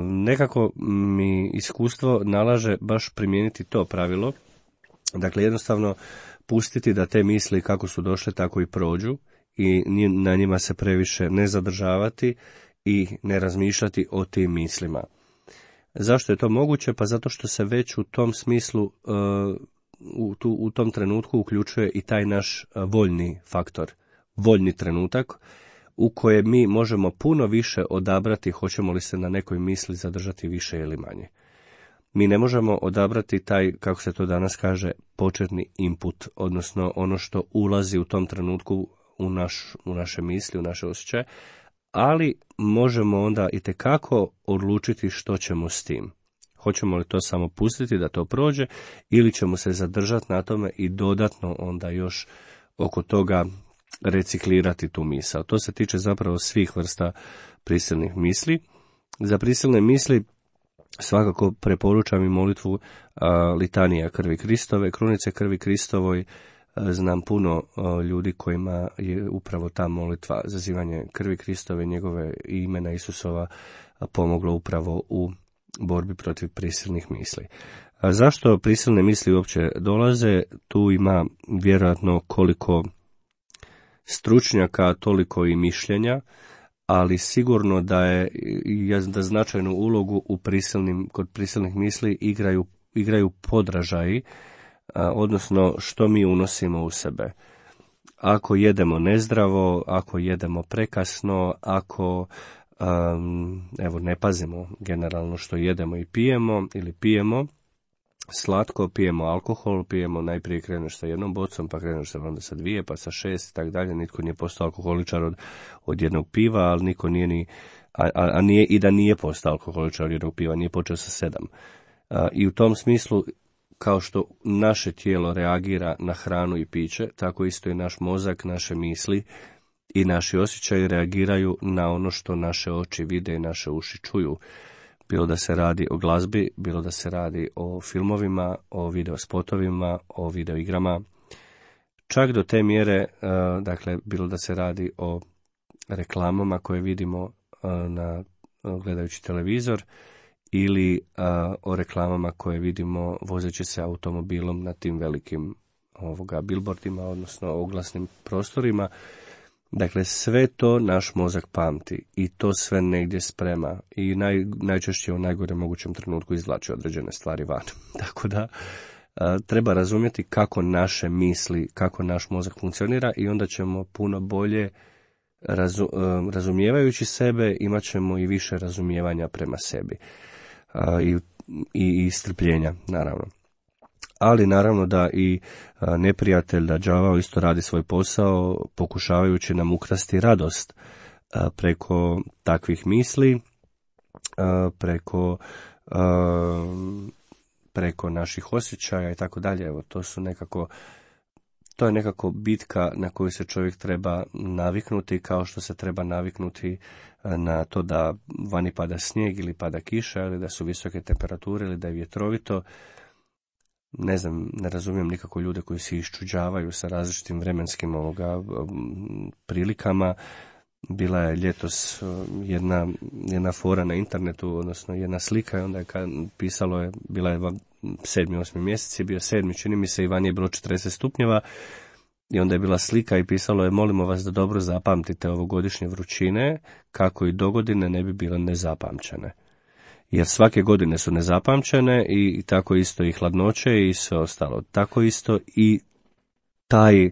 Nekako mi iskustvo nalaže baš primijeniti to pravilo, dakle jednostavno pustiti da te misli kako su došle tako i prođu i na njima se previše ne zadržavati i ne razmišljati o tim mislima. Zašto je to moguće? Pa zato što se već u tom smislu, u, tu, u tom trenutku uključuje i taj naš voljni faktor, voljni trenutak u kojem mi možemo puno više odabrati hoćemo li se na nekoj misli zadržati više ili manje. Mi ne možemo odabrati taj, kako se to danas kaže, početni input, odnosno ono što ulazi u tom trenutku u, naš, u naše misli, u naše osjećaje, ali možemo onda itekako odlučiti što ćemo s tim. Hoćemo li to samo pustiti da to prođe ili ćemo se zadržati na tome i dodatno onda još oko toga reciklirati tu misao. To se tiče zapravo svih vrsta prisilnih misli. Za prisilne misli Svakako preporučam i molitvu a, litanija krvi Kristove, krunice krvi Kristovoj. A, znam puno a, ljudi kojima je upravo ta molitva, zazivanje krvi Kristove, njegove imena Isusova, a, pomoglo upravo u borbi protiv prisilnih misli. A zašto prisilne misli uopće dolaze? Tu ima vjerojatno koliko stručnjaka, toliko i mišljenja, ali sigurno da je da značajnu ulogu u prisilnim, kod prisilnih misli igraju, igraju podražaji, a, odnosno što mi unosimo u sebe. Ako jedemo nezdravo, ako jedemo prekasno, ako um, evo ne pazimo generalno što jedemo i pijemo ili pijemo slatko, pijemo alkohol, pijemo najprije kreneš sa jednom bocom, pa kreneš sa onda sa dvije, pa sa šest i tako dalje. Nitko nije postao alkoholičar od, od jednog piva, ali niko nije ni, a, a nije i da nije postao alkoholičar od jednog piva, nije počeo sa sedam. A, I u tom smislu, kao što naše tijelo reagira na hranu i piće, tako isto i naš mozak, naše misli i naši osjećaji reagiraju na ono što naše oči vide i naše uši čuju. Bilo da se radi o glazbi, bilo da se radi o filmovima, o videospotovima, o videoigrama. Čak do te mjere, dakle, bilo da se radi o reklamama koje vidimo na, gledajući televizor ili o reklamama koje vidimo vozeći se automobilom na tim velikim ovoga billboardima, odnosno oglasnim prostorima. Dakle, sve to naš mozak pamti i to sve negdje sprema i naj, najčešće u najgorem mogućem trenutku izvlači određene stvari van. Tako da a, treba razumjeti kako naše misli, kako naš mozak funkcionira i onda ćemo puno bolje, razu, a, razumijevajući sebe, imat ćemo i više razumijevanja prema sebi a, i, i, i strpljenja, naravno. Ali naravno da i neprijatelj, da đavao isto radi svoj posao pokušavajući nam ukrasti radost preko takvih misli, preko, preko naših osjećaja i tako dalje. Evo, to su nekako, to je nekako bitka na koju se čovjek treba naviknuti, kao što se treba naviknuti na to da vani pada snijeg ili pada kiša, ili da su visoke temperature ili da je vjetrovito. Ne znam, ne razumijem nikako ljude koji se iščuđavaju sa različitim vremenskim ovoga prilikama. Bila je ljetos jedna, jedna fora na internetu, odnosno jedna slika, i onda je kad pisalo je, bila je sedmi, osmi mjesec, je bio sedmi, čini mi se, i vani je bilo četrdeset stupnjeva, i onda je bila slika i pisalo je: molimo vas da dobro zapamtite ovogodišnje vrućine, kako i dogodine ne bi bile nezapamćene. Jer svake godine su nezapamćene i tako isto i hladnoće i sve ostalo. Tako isto i taj,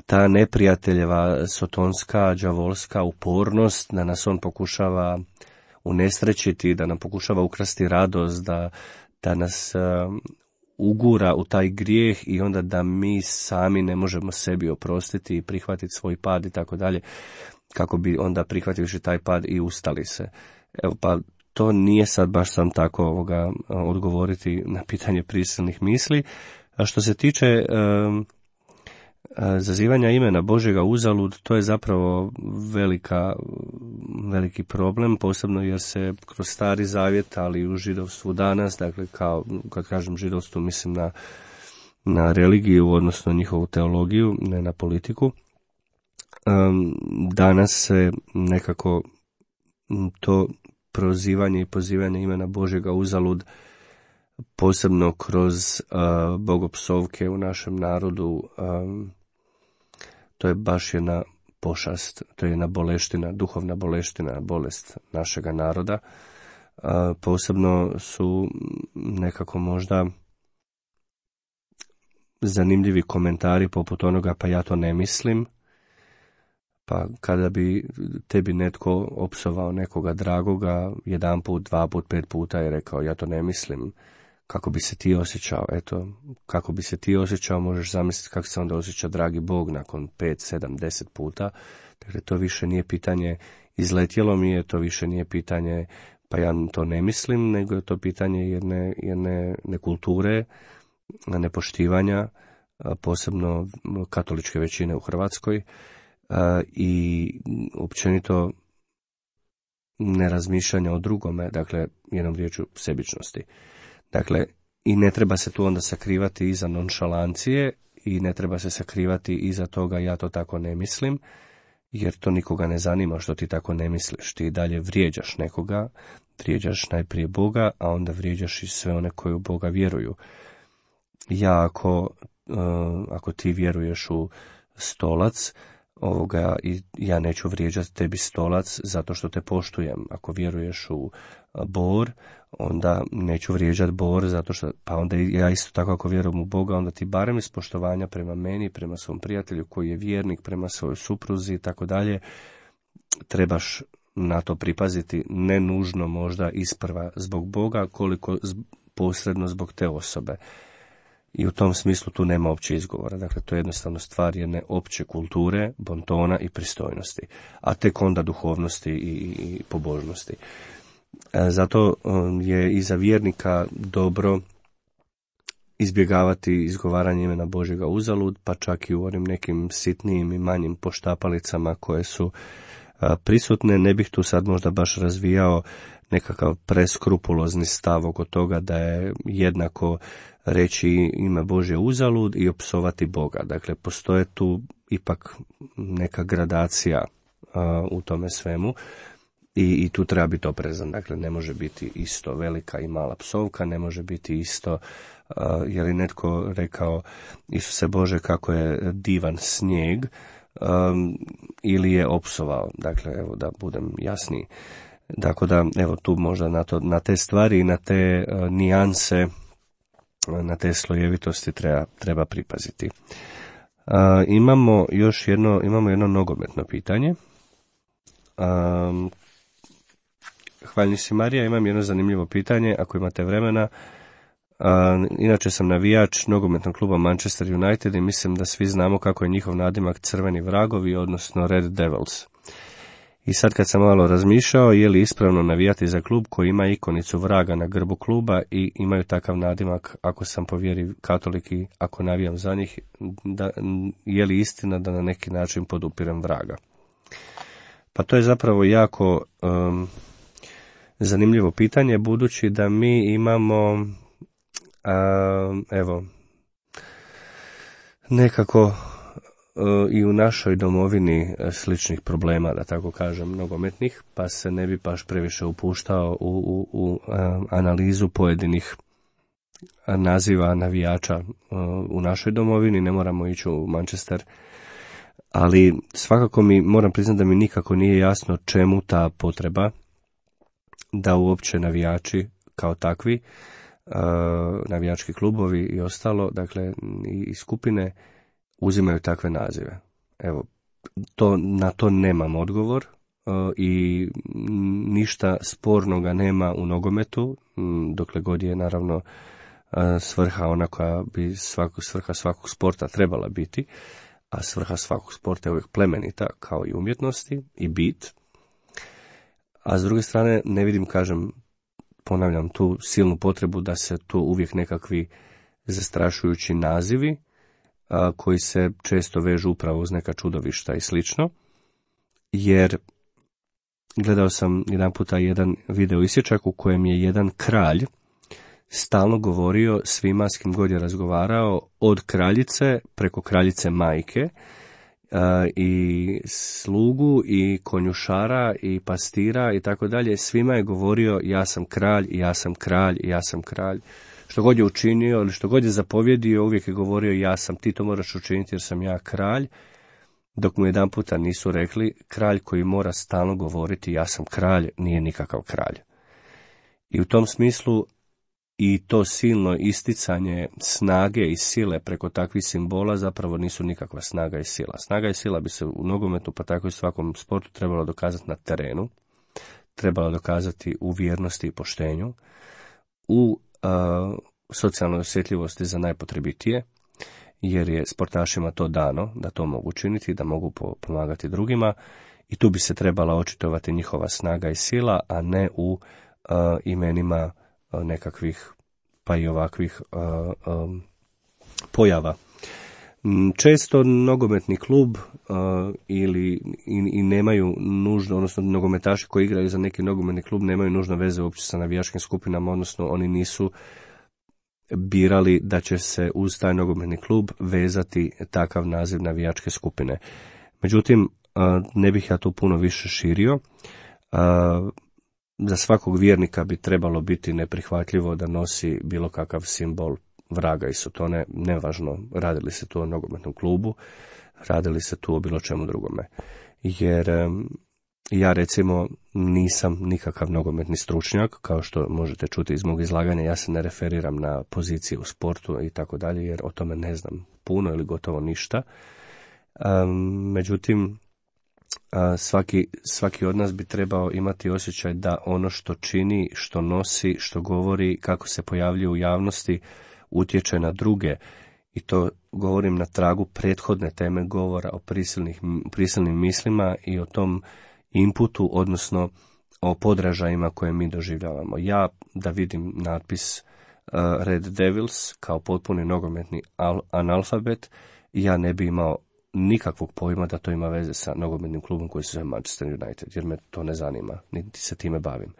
ta neprijateljeva sotonska, đavolska upornost da nas on pokušava unesrećiti, da nam pokušava ukrasti radost, da, da nas uh, ugura u taj grijeh i onda da mi sami ne možemo sebi oprostiti i prihvatiti svoj pad i tako dalje, kako bi onda prihvativši taj pad i ustali se. Evo, pa to nije sad baš sam tako ovoga odgovoriti na pitanje prisilnih misli. A što se tiče e, zazivanja imena Božjega uzalud, to je zapravo velika, veliki problem, posebno jer se kroz Stari Zavjet, ali i u židovstvu danas, dakle kao, kad kažem židovstvu, mislim na, na religiju, odnosno njihovu teologiju, ne na politiku. E, danas se nekako to prozivanje i pozivanje imena Božjega uzalud, posebno kroz uh, bogopsovke u našem narodu, um, to je baš jedna pošast, to je jedna boleština, duhovna boleština, bolest našega naroda. Uh, posebno su nekako možda zanimljivi komentari poput onoga: pa ja to ne mislim. Pa kada bi tebi netko opsovao nekoga dragoga jedan put, dva put, pet puta i rekao: ja to ne mislim, kako bi se ti osjećao? Eto, kako bi se ti osjećao, možeš zamisliti kako se onda osjeća dragi Bog nakon pet, sedam, deset puta. Dakle, to više nije pitanje izletjelo mi je, to više nije pitanje pa ja to ne mislim, nego je to pitanje jedne, jedne nekulture, nepoštivanja, posebno katoličke većine u Hrvatskoj. I općenito nerazmišljanja o drugome, dakle, jednom riječju sebičnosti. Dakle, i ne treba se tu onda sakrivati iza nonšalancije i ne treba se sakrivati iza toga ja to tako ne mislim, jer to nikoga ne zanima što ti tako ne misliš. Ti dalje vrijeđaš nekoga, vrijeđaš najprije Boga, a onda vrijeđaš i sve one koji u Boga vjeruju. Ja ako, uh, ako ti vjeruješ u stolac, ovoga, i ja neću vrijeđati tebi stolac zato što te poštujem. Ako vjeruješ u bor, onda neću vrijeđati bor zato što, pa onda ja isto tako ako vjerujem u Boga, onda ti barem iz poštovanja prema meni, prema svom prijatelju koji je vjernik, prema svojoj supruzi i tako dalje, trebaš na to pripaziti, ne nužno možda isprva zbog Boga, koliko posredno zbog te osobe. I u tom smislu tu nema opće izgovora. Dakle, to je jednostavno stvar jedne opće kulture, bontona i pristojnosti, a tek onda duhovnosti i, i pobožnosti. E, zato je i za vjernika dobro izbjegavati izgovaranje imena Božjega uzalud, pa čak i u onim nekim sitnijim i manjim poštapalicama koje su a, prisutne. Ne bih tu sad možda baš razvijao nekakav preskrupulozni stav oko toga da je jednako reći ime Božje uzalud i opsovati Boga. Dakle, postoje tu ipak neka gradacija a, u tome svemu i, i tu treba biti oprezan. Dakle, ne može biti isto velika i mala psovka, ne može biti isto, a, je li netko rekao Isuse Bože kako je divan snijeg, a, ili je opsovao. Dakle, evo da budem jasniji. Dakle, da, evo tu možda na, to, na te stvari i na te a, nijanse, na te slojevitosti treba, treba pripaziti. A, imamo još jedno, imamo jedno nogometno pitanje. A, Hvaljni si Marija, imam jedno zanimljivo pitanje, ako imate vremena. A, inače sam navijač nogometnog kluba Manchester United i mislim da svi znamo kako je njihov nadimak crveni vragovi, odnosno Red Devils. I sad kad sam malo razmišljao, je li ispravno navijati za klub koji ima ikonicu vraga na grbu kluba i imaju takav nadimak, ako sam po vjeri katolik i ako navijam za njih, da, je li istina da na neki način podupirem vraga? Pa to je zapravo jako um, zanimljivo pitanje, budući da mi imamo, um, evo, nekako i u našoj domovini sličnih problema, da tako kažem, nogometnih, pa se ne bi baš previše upuštao u, u, u analizu pojedinih naziva navijača u našoj domovini, ne moramo ići u Manchester, ali svakako mi, moram priznati da mi nikako nije jasno čemu ta potreba da uopće navijači kao takvi, navijački klubovi i ostalo, dakle i skupine, uzimaju takve nazive. Evo, to, na to nemam odgovor uh, i ništa spornoga nema u nogometu, m, dokle god je naravno uh, svrha ona koja bi svaku, svrha svakog sporta trebala biti, a svrha svakog sporta je uvijek plemenita kao i umjetnosti i bit. A s druge strane ne vidim, kažem, ponavljam tu silnu potrebu da se tu uvijek nekakvi zastrašujući nazivi koji se često vežu upravo uz neka čudovišta i slično, jer gledao sam jedan puta jedan video isječak u kojem je jedan kralj stalno govorio svima s kim god je razgovarao, od kraljice preko kraljice majke, i slugu i konjušara i pastira i tako dalje, svima je govorio ja sam kralj, ja sam kralj, ja sam kralj. Što god je učinio ili što god je zapovjedio, uvijek je govorio ja sam, ti to moraš učiniti jer sam ja kralj, dok mu jedan puta nisu rekli kralj koji mora stalno govoriti ja sam kralj nije nikakav kralj. I u tom smislu i to silno isticanje snage i sile preko takvih simbola zapravo nisu nikakva snaga i sila. Snaga i sila bi se u nogometu, pa tako i svakom sportu, trebalo dokazati na terenu, trebalo dokazati u vjernosti i poštenju, u Uh, socijalnoj osjetljivosti za najpotrebitije, jer je sportašima to dano da to mogu činiti, da mogu po- pomagati drugima, i tu bi se trebala očitovati njihova snaga i sila, a ne u uh, imenima uh, nekakvih pa i ovakvih uh, um, pojava. Često nogometni klub uh, ili i, i nemaju nužno, odnosno nogometaši koji igraju za neki nogometni klub nemaju nužno veze uopće sa navijačkim skupinama, odnosno oni nisu birali da će se uz taj nogometni klub vezati takav naziv navijačke skupine. Međutim, uh, ne bih ja tu puno više širio. Uh, za svakog vjernika bi trebalo biti neprihvatljivo da nosi bilo kakav simbol vraga i sotone, nevažno radili se tu o nogometnom klubu, radili se tu o bilo čemu drugome. Jer ja recimo nisam nikakav nogometni stručnjak, kao što možete čuti iz mog izlaganja, ja se ne referiram na pozicije u sportu i tako dalje, jer o tome ne znam puno ili gotovo ništa. Međutim, svaki, svaki od nas bi trebao imati osjećaj da ono što čini, što nosi, što govori, kako se pojavljuje u javnosti, utječe na druge, i to govorim na tragu prethodne teme govora o prisilnih, prisilnim mislima i o tom inputu, odnosno o podražajima koje mi doživljavamo. Ja da vidim natpis uh, Red Devils kao potpuni nogometni al- analfabet, ja ne bi imao nikakvog pojma da to ima veze sa nogometnim klubom koji se zove Manchester United, jer me to ne zanima, niti se time bavim.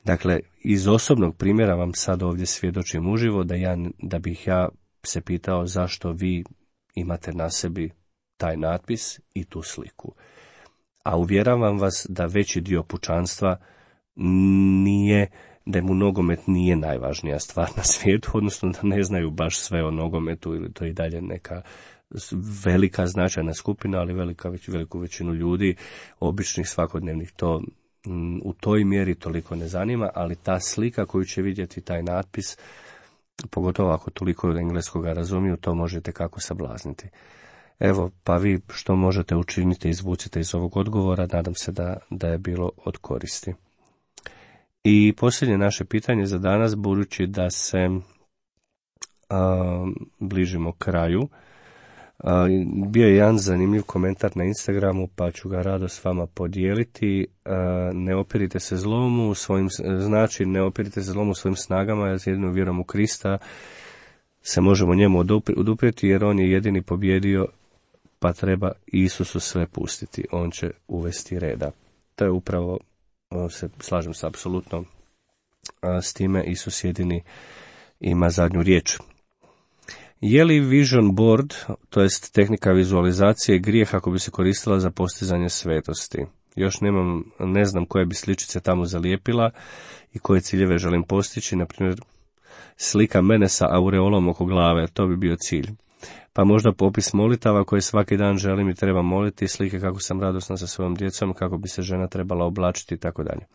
Dakle, iz osobnog primjera vam sad ovdje svjedočim uživo da, ja, da bih ja se pitao zašto vi imate na sebi taj natpis i tu sliku. A uvjeravam vas da veći dio pučanstva nije, da mu nogomet nije najvažnija stvar na svijetu, odnosno da ne znaju baš sve o nogometu, ili to i dalje neka velika značajna skupina, ali velika, veliku većinu ljudi, običnih svakodnevnih, to u toj mjeri toliko ne zanima, ali ta slika koju će vidjeti, taj natpis, pogotovo ako toliko od engleskoga razumiju, to možete kako sablazniti. Evo, pa vi što možete učiniti, izvucite iz ovog odgovora, nadam se da, da je bilo od koristi. I posljednje naše pitanje za danas, budući da se a, bližimo kraju, a, bio je jedan zanimljiv komentar na Instagramu, pa ću ga rado s vama podijeliti. A, ne opirite se zlomu, svojim, znači ne opirite se zlomu svojim snagama, jer s jedinom vjerom u Krista se možemo njemu oduprijeti, jer on je jedini pobjedio, pa treba Isusu sve pustiti, on će uvesti reda. To je upravo, se slažem se apsolutno s time, Isus jedini ima zadnju riječ. Je li vision board, to jest tehnika vizualizacije, grijeh ako bi se koristila za postizanje svetosti? Još nemam, ne znam koje bi sličice tamo zalijepila i koje ciljeve želim postići, na primjer slika mene sa aureolom oko glave, to bi bio cilj. Pa možda popis molitava koje svaki dan želim i treba moliti, slike kako sam radosna sa svojom djecom, kako bi se žena trebala oblačiti i tako dalje.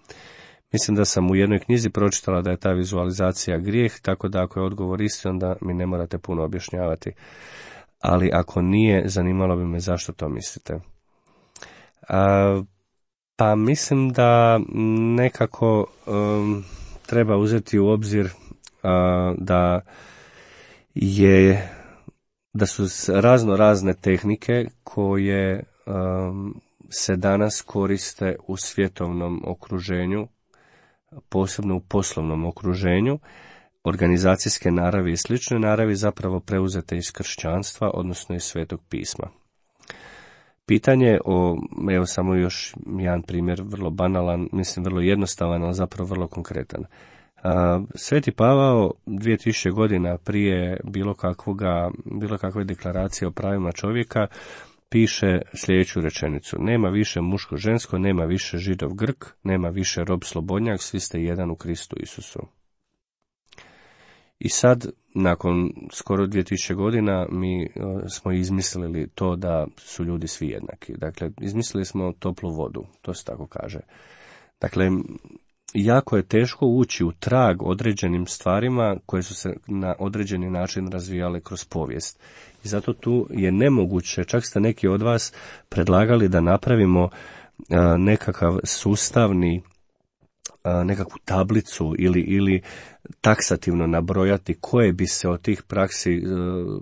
Mislim da sam u jednoj knjizi pročitala da je ta vizualizacija grijeh, tako da ako je odgovor isti, onda mi ne morate puno objašnjavati. Ali ako nije, zanimalo bi me zašto to mislite. A, pa mislim da nekako um, treba uzeti u obzir a, da je da su razno razne tehnike koje um, se danas koriste u svjetovnom okruženju, posebno u poslovnom okruženju, organizacijske naravi i slične naravi, zapravo preuzete iz kršćanstva, odnosno iz Svetog pisma. Pitanje o, evo samo još jedan primjer, vrlo banalan, mislim vrlo jednostavan, ali zapravo vrlo konkretan. Sveti Pavao dvije tisuće godina prije bilo kakvoga, bilo kakve deklaracije o pravima čovjeka piše sljedeću rečenicu: nema više muško-žensko, nema više židov-grk, nema više rob-slobodnjak, svi ste jedan u Kristu Isusu. I sad, nakon skoro dvije tisuće godina, mi smo izmislili to da su ljudi svi jednaki. Dakle, izmislili smo toplu vodu, to se tako kaže. Dakle, jako je teško ući u trag određenim stvarima koje su se na određeni način razvijale kroz povijest. I zato tu je nemoguće, čak ste neki od vas predlagali da napravimo nekakav sustavni, nekakvu tablicu ili, ili taksativno nabrojati koje bi se od tih praksi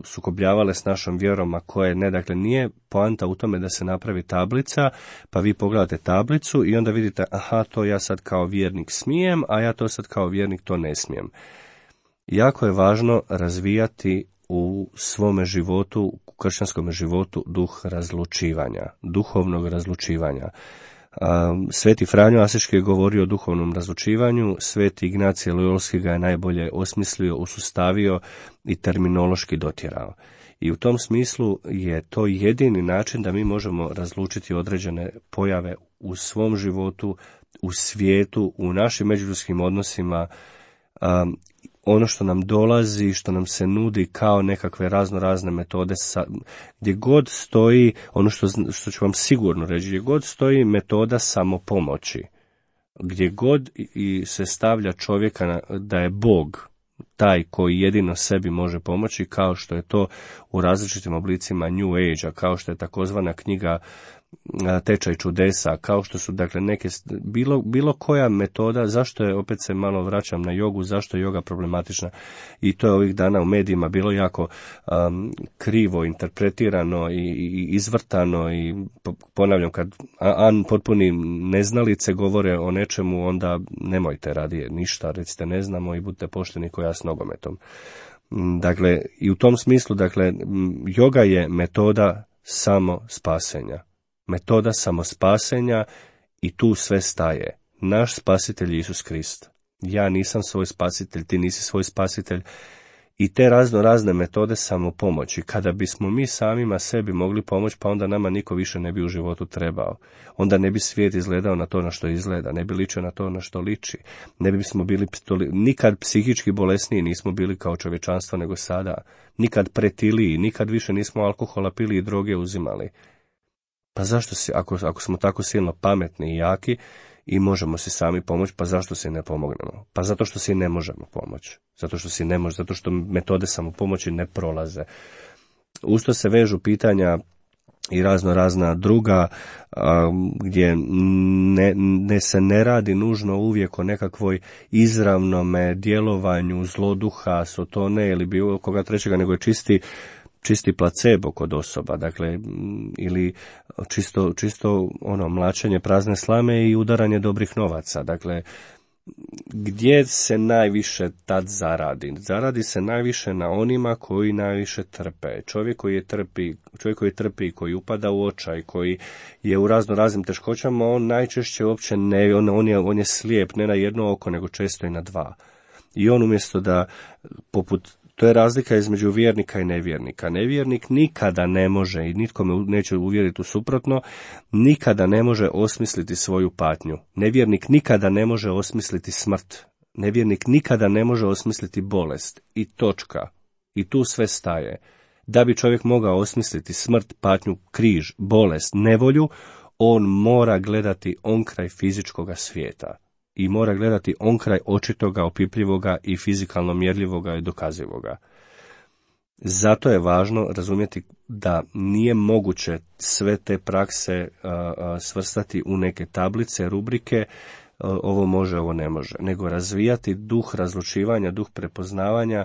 sukobljavale s našom vjerom, a koje ne. Dakle, nije poanta u tome da se napravi tablica, pa vi pogledate tablicu i onda vidite, aha, to ja sad kao vjernik smijem, a ja to sad kao vjernik to ne smijem. Jako je važno razvijati u svome životu, u kršćanskom životu, duh razlučivanja, duhovnog razlučivanja. Sveti Franjo Asiški je govorio o duhovnom razlučivanju, Sveti Ignacije Lojolski ga je najbolje osmislio, usustavio i terminološki dotjerao. I u tom smislu je to jedini način da mi možemo razlučiti određene pojave u svom životu, u svijetu, u našim međuljudskim odnosima, um, ono što nam dolazi, što nam se nudi kao nekakve razno razne metode, sa, gdje god stoji, ono što, što ću vam sigurno reći, gdje god stoji metoda samopomoći, gdje god i se stavlja čovjeka na, da je Bog taj koji jedino sebi može pomoći, kao što je to u različitim oblicima New Age-a, kao što je takozvana knjiga Tečaj čudesa, kao što su dakle neke, bilo, bilo koja metoda, zašto je, opet se malo vraćam na jogu, zašto je joga problematična, i to je ovih dana u medijima bilo jako um, krivo interpretirano i, i izvrtano, i ponavljam, kad an potpuni neznalice govore o nečemu, onda nemojte radije ništa, recite ne znamo i budite pošteni ko ja s nogometom. Dakle, i u tom smislu, dakle, joga je metoda samo spasenja. Metoda samospasenja, i tu sve staje. Naš spasitelj je Isus Krist. Ja nisam svoj spasitelj, ti nisi svoj spasitelj. I te razno razne metode samopomoći. Kada bismo mi samima sebi mogli pomoći, pa onda nama niko više ne bi u životu trebao. Onda ne bi svijet izgledao na to na što izgleda, ne bi ličio na to na što liči. Ne bismo bili nikad psihički bolesniji nismo bili kao čovječanstvo nego sada. Nikad pretiliji, nikad više nismo alkohola pili i droge uzimali. Pa zašto si, ako, ako smo tako silno pametni i jaki i možemo si sami pomoći, pa zašto si ne pomognemo? Pa zato što si ne možemo pomoći. Zato što si ne može, zato što metode samopomoći ne prolaze. Usto se vežu pitanja i razno razna druga, a, gdje ne, ne se ne radi nužno uvijek o nekakvoj izravnome djelovanju zloduha, sotone ili bilo koga trećega, nego je čisti čisti placebo kod osoba, dakle, ili čisto, čisto ono, mlačenje prazne slame i udaranje dobrih novaca. Dakle, gdje se najviše tad zaradi? Zaradi se najviše na onima koji najviše trpe. Čovjek koji je trpi, čovjek koji trpi, koji upada u očaj, koji je u razno raznim teškoćama, on najčešće uopće ne, on, on, je, on je slijep ne na jedno oko, nego često i na dva. I on umjesto da, poput To je razlika između vjernika i nevjernika. Nevjernik nikada ne može, i nitko me neće uvjeriti u suprotno, nikada ne može osmisliti svoju patnju. Nevjernik nikada ne može osmisliti smrt. Nevjernik nikada ne može osmisliti bolest. I točka. I tu sve staje. Da bi čovjek mogao osmisliti smrt, patnju, križ, bolest, nevolju, on mora gledati onkraj fizičkoga svijeta. I mora gledati onkraj očitoga, opipljivoga i fizikalno mjerljivoga i dokazivoga. Zato je važno razumjeti da nije moguće sve te prakse a, a, svrstati u neke tablice, rubrike, a, ovo može, ovo ne može, nego razvijati duh razlučivanja, duh prepoznavanja,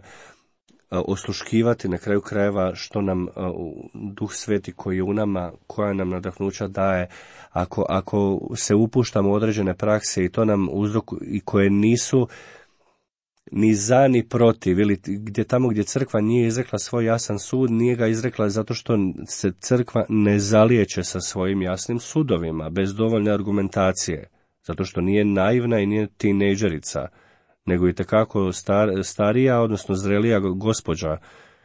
a, osluškivati na kraju krajeva što nam a, duh sveti koji je u nama, koja nam nadahnuća daje. Ako, ako se upuštamo u određene prakse i to nam uzrok, i koje nisu ni za ni protiv, ili gdje tamo gdje crkva nije izrekla svoj jasan sud, nije ga izrekla zato što se crkva ne zalijeće sa svojim jasnim sudovima, bez dovoljne argumentacije, zato što nije naivna i nije tinejdžerica, nego i tekako star, starija, odnosno zrelija gospođa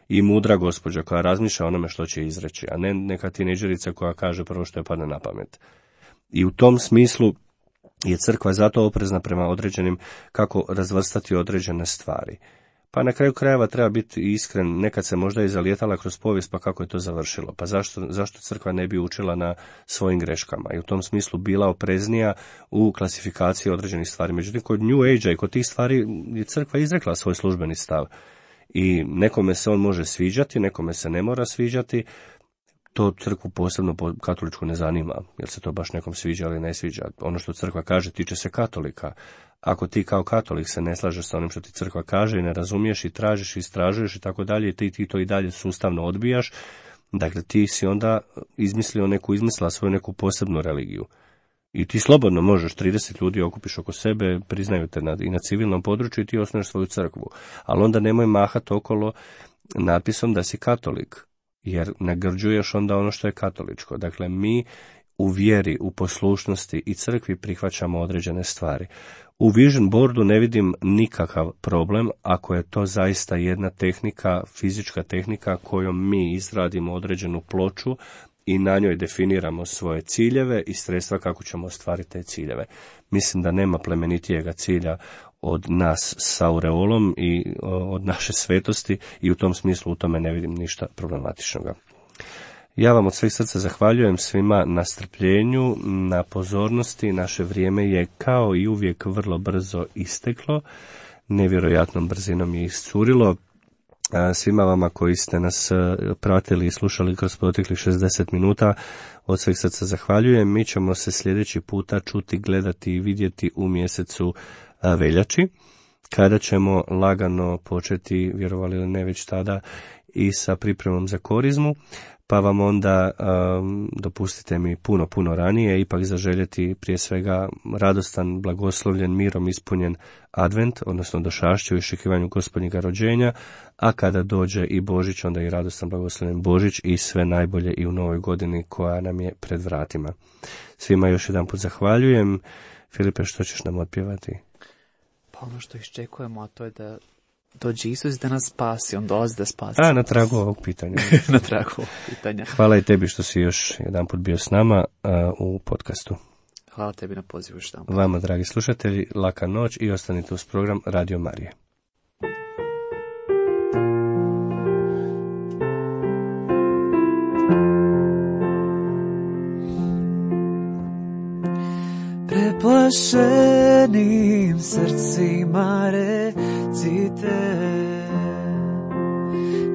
i mudra gospođa koja razmišlja o onome što će izreći, a ne neka tinejdžerica koja kaže prvo što je padne na pamet. I u tom smislu je crkva zato oprezna prema određenim, kako razvrstati određene stvari. Pa na kraju krajeva treba biti iskren, nekad se možda i zalijetala kroz povijest, pa kako je to završilo. Pa zašto, zašto crkva ne bi učila na svojim greškama i u tom smislu bila opreznija u klasifikaciji određenih stvari. Međutim, kod New Age-a i kod tih stvari je crkva izrekla svoj službeni stav. I nekome se on može sviđati, nekome se ne mora sviđati. To crkvu posebno katoličku ne zanima, jer se to baš nekom sviđa ili ne sviđa. Ono što crkva kaže tiče se katolika. Ako ti kao katolik se ne slažeš sa onim što ti crkva kaže i ne razumiješ i tražiš i istražuješ i tako dalje, i ti, ti to i dalje sustavno odbijaš, dakle ti si onda izmislio neku, izmislila svoju neku posebnu religiju. I ti slobodno možeš, trideset ljudi okupiš oko sebe, priznaju te na, i na civilnom području, i ti osnuješ svoju crkvu. Ali onda nemoj mahati okolo napisom da si katolik, jer nagrđuješ onda ono što je katoličko. Dakle, mi u vjeri, u poslušnosti i crkvi prihvaćamo određene stvari. U vision boardu ne vidim nikakav problem ako je to zaista jedna tehnika, fizička tehnika kojom mi izradimo određenu ploču i na njoj definiramo svoje ciljeve i sredstva kako ćemo ostvariti te ciljeve. Mislim da nema plemenitijega cilja od nas sa aureolom i od naše svetosti i u tom smislu u tome ne vidim ništa problematičnoga. Ja vam od svih srca zahvaljujem svima na strpljenju, na pozornosti. Naše vrijeme je kao i uvijek vrlo brzo isteklo, nevjerojatnom brzinom je iscurilo. Svima vama koji ste nas pratili i slušali kroz proteklih šezdeset minuta, od svih srca zahvaljujem. Mi ćemo se sljedeći puta čuti, gledati i vidjeti u mjesecu veljači, kada ćemo lagano početi, vjerovali ili ne već tada, i sa pripremom za korizmu, pa vam onda um, dopustite mi puno, puno ranije ipak zaželjeti prije svega radostan, blagoslovljen, mirom ispunjen advent, odnosno došašće u iščekivanju Gospodnjega rođenja, a kada dođe i Božić, onda i radostan, blagoslovljen Božić i sve najbolje i u novoj godini koja nam je pred vratima. Svima još jedan put zahvaljujem. Filipe, što ćeš nam otpjevati? Pa ono što iščekujemo, a to je da dođe Isus da nas spasi, on dolazi da spasi. A, na tragu ovog pitanja. Na tragu ovog pitanja. Hvala i tebi što si još jedan put bio s nama uh, u podcastu. Hvala tebi na pozivu što. Vama, dragi slušatelji, laka noć i ostanite uz program Radio Marije. Preplašenim srcima recite,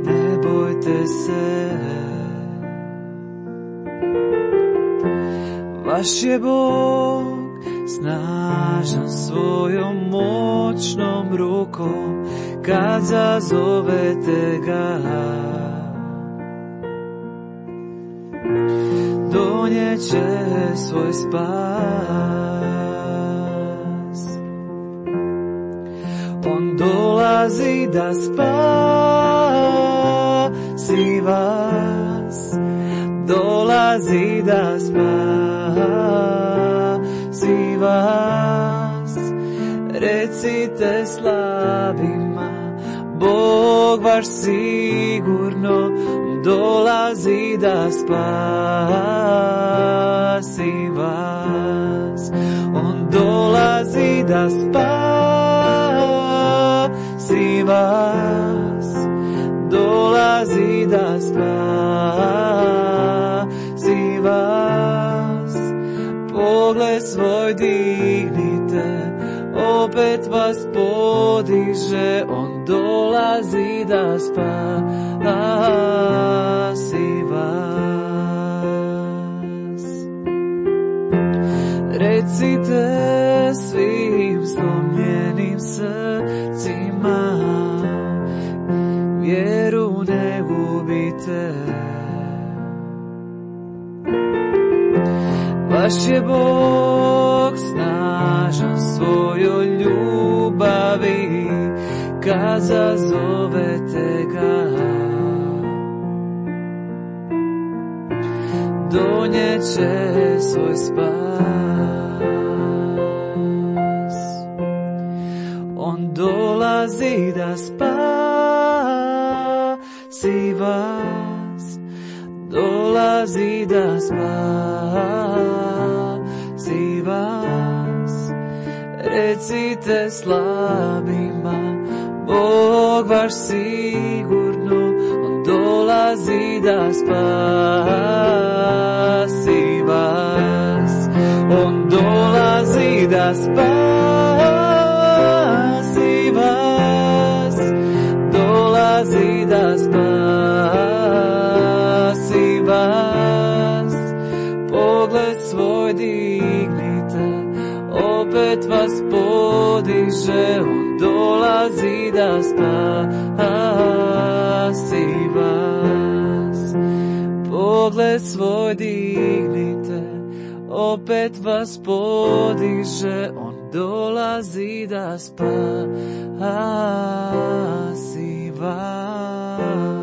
ne bojte se, vaš je Bog snažan svojom moćnom rukom, kad zazovete ga, donijeće svoj spas. On dolazi da spasi vas, dolazi da spasi vas. Recite slabima, Bog vaš sigurno dolazi da spasi vas. On dolazi da spasi vas, dolazi da spasi vas. Pogled svoj dignite, opet vas podiže, on dolazi da spasi vas. Recite svim slomljenim srcima, vjeru ne gubite, vaš je Bog snažan svojoj ljubavi, kad zazovete ga, donijeće svoj spas. On dolazi da spasi vas, dolazi da spasi vas. Recite slabima, Bog vaš sigurno, on dolazi da spasi vas. On dolazi da spasi vas, dolazi da spasi vas. Pogled svoj dignite, opet vas podiže, on dolazi da spasi vas. Pogled svoj dignite, opet vas podiže, on dolazi da spasi vas. vas.